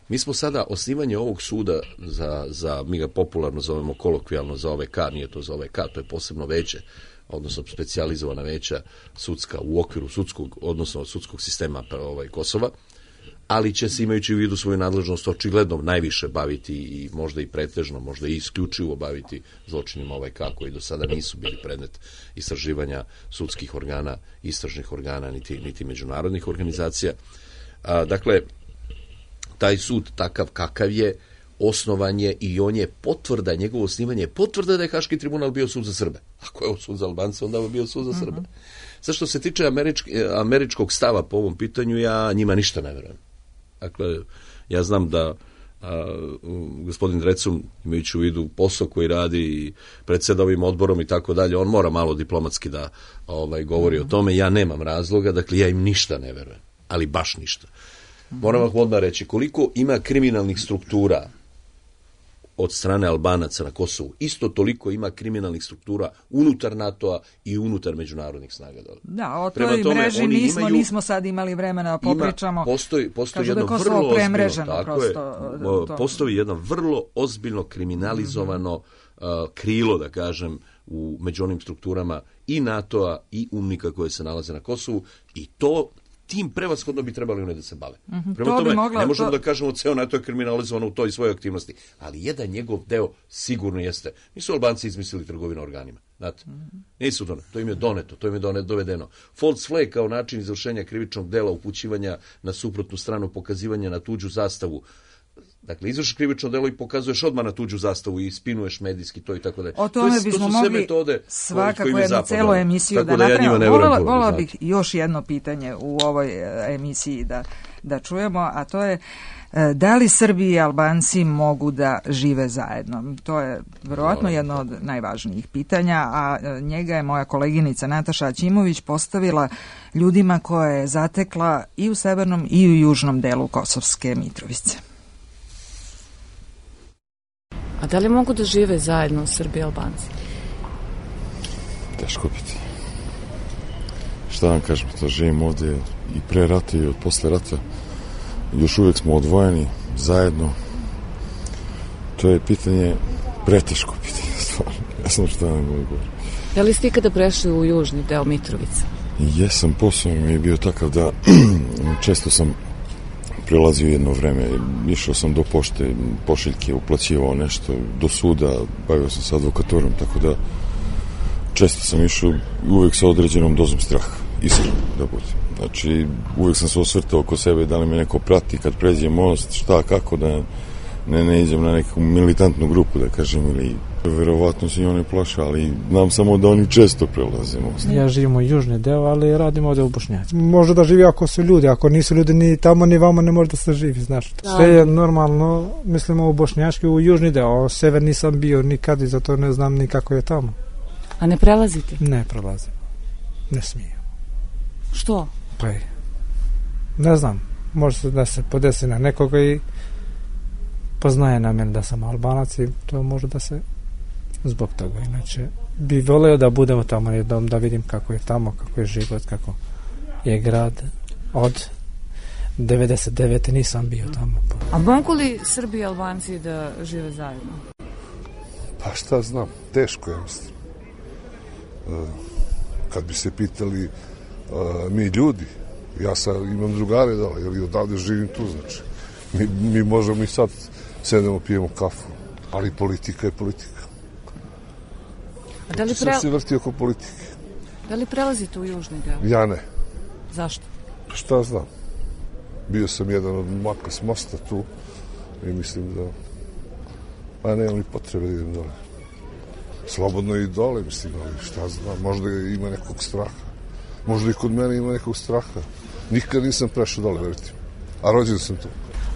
Mi smo sada osnivanje ovog suda za, za mi ga popularno zovemo kolokvijalno za O V K, nije to za O V K, to je posebno veće, odnosno specijalizovana veća sudska u okviru sudskog, odnosno sudskog sistema ovaj, Kosova, ali će se imajući u vidu svoju nadležnost očigledno najviše baviti i možda i pretežno, možda i isključivo baviti zločinima O V K koji do sada nisu bili predmet istraživanja sudskih organa, istražnih organa, niti, niti međunarodnih organizacija. A, dakle, taj sud takav kakav je, osnovan je i on je potvrda, njegovo osnivanje je potvrda da je Haški tribunal bio sud za Srbe. Ako je on sud za Albance, onda je bio sud za Srbe. Sad što se tiče američk, američkog stava po ovom pitanju, ja njima ništa ne verujem. Dakle, ja znam da a, gospodin Drecun, imajući u vidu posao koji radi i predseda ovim odborom i tako dalje, on mora malo diplomatski da ovaj, govori o tome. Ja nemam razloga, dakle ja im ništa ne verujem, ali baš ništa. Moram vam odmah reći, koliko ima kriminalnih struktura od strane Albanaca na Kosovu, isto toliko ima kriminalnih struktura unutar NATO-a i unutar međunarodnih snaga. Da, o toj tome, mreži nismo, imaju, nismo sad imali vremena da popričamo. Ima, postoji postoji jedno da vrlo ozbiljno, tako je, to. Postoji jedno vrlo ozbiljno kriminalizovano mm-hmm. uh, krilo, da kažem, u među onim strukturama i NATO-a i umnika koje se nalaze na Kosovu i to tim prevashodno bi trebali one da se bave. Mm-hmm. Prema to tome, mogla, ne možemo to... da kažemo ceo NATO je kriminalizovan u toj svojoj aktivnosti, ali jedan njegov deo sigurno jeste. Nisu Albanci izmislili trgovinu organima, znate? Mm-hmm. Nisu doneto, to im je doneto, to im je doneto, dovedeno. False flag kao način izvršenja krivičnog dela, upućivanja na suprotnu stranu, pokazivanja na tuđu zastavu. Dakle, izvršiš krivično delo i pokazuješ odmah na tuđu zastavu i spinuješ medijski to i tako dalje. O tome to, bismo to mogli svakako jednu celu emisiju da, da napravimo. Ja Volila, volila bih još jedno pitanje u ovoj emisiji da, da čujemo, a to je da li Srbi i Albanci mogu da žive zajedno? To je verovatno jedno od najvažnijih pitanja, a njega je moja koleginica Nataša Aćimović postavila ljudima koje je zatekla i u severnom i u južnom delu Kosovske Mitrovice. A da li mogu da žive zajedno Srbi i Albanci? Teško biti. Šta vam kažem, to živim ovdje i pre rata i od posle rata. Još uvijek smo odvojeni, zajedno. To je pitanje, preteško pitanje, stvarno. Ja sam šta vam govorim. Da li ste ikada prešli u južni deo Mitrovice? Jesam, posao mi je bio takav da često sam prelazio jedno vreme, išao sam do pošte, pošiljke, uplaćivao nešto, do suda, bavio sam se advokatorom, tako da često sam išao uvijek sa određenom dozom straha, iskreno da budem. Znači, uvijek sam se osvrtao oko sebe da li me neko prati kad pređe most, šta, kako, da ne, ne idem na neku militantnu grupu, da kažem, ili verovatno se i one plaše, ali znam samo da oni često prelaze most. Ja živim u južni deo, ali radim ovdje u Bošnjaci. Može da živi ako su ljudi, ako nisu ljudi ni tamo ni vamo ne može da se živi, znaš. Sve je normalno, mislimo u Bošnjački, u južni deo, sever nisam bio nikad i zato ne znam ni kako je tamo. A ne prelazite? Ne prelazim, ne smijem. Što? Pa je, ne znam, može se da se podesi na nekoga i poznaje na mene da sam Albanac i to može da se zbog toga. Inače, bi voleo da budemo tamo jednom, da vidim kako je tamo, kako je život, kako je grad. Od devedeset devete nisam bio tamo. A mogu li Srbi i Albanci da žive zajedno? Pa šta znam, teško je, mislim. Kad bi se pitali mi ljudi, ja sad imam drugare dole, jer odavde živim tu, znači. Mi, mi možemo i sad sedemo, pijemo kafu, ali politika je politika. A da li pre... Sad se vrti oko politike. Da li prelazite u južni deo? Ja ne. Zašto? Šta znam. Bio sam jedan od maka s mosta tu i mislim da pa nemam li potrebe da idem dole. Slobodno i dole, mislim, ali šta znam, možda ima nekog straha. Možda i kod mene ima nekog straha. Nikad nisam prešao dole, verite. A rođen sam tu.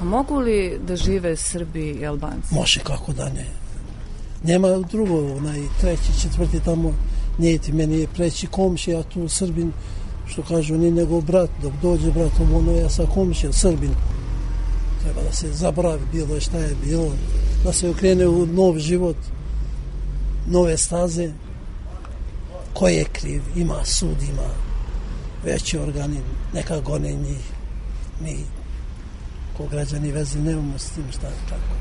A mogu li da žive Srbi i Albanci? Može, kako da ne. Nema drugo, onaj treći, četvrti tamo, nije ti meni je preći komšija, a tu Srbin, što kažu, ni nego brat, dok dođe brat, ono ja sa komšijom, Srbin. Treba da se zabravi bilo je šta je bilo, da se okrene u nov život, nove staze. Ko je kriv? Ima sud, ima veći organi, neka gone njih. Mi, ko građani veze, nemamo s tim šta je tako.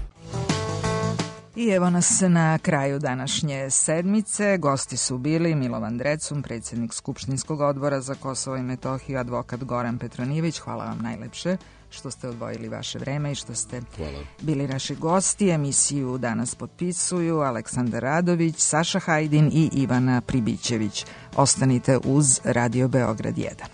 I evo nas na kraju današnje sedmice. Gosti su bili Milovan Drecun, predsjednik Skupštinskog odbora za Kosovo i Metohiju, advokat Goran Petronijević. Hvala vam najlepše što ste odvojili vaše vreme i što ste Hvala. bili naši gosti. Emisiju danas potpisuju Aleksandar Radović, Saša Hajdin i Ivana Pribićević. Ostanite uz Radio Beograd jedan.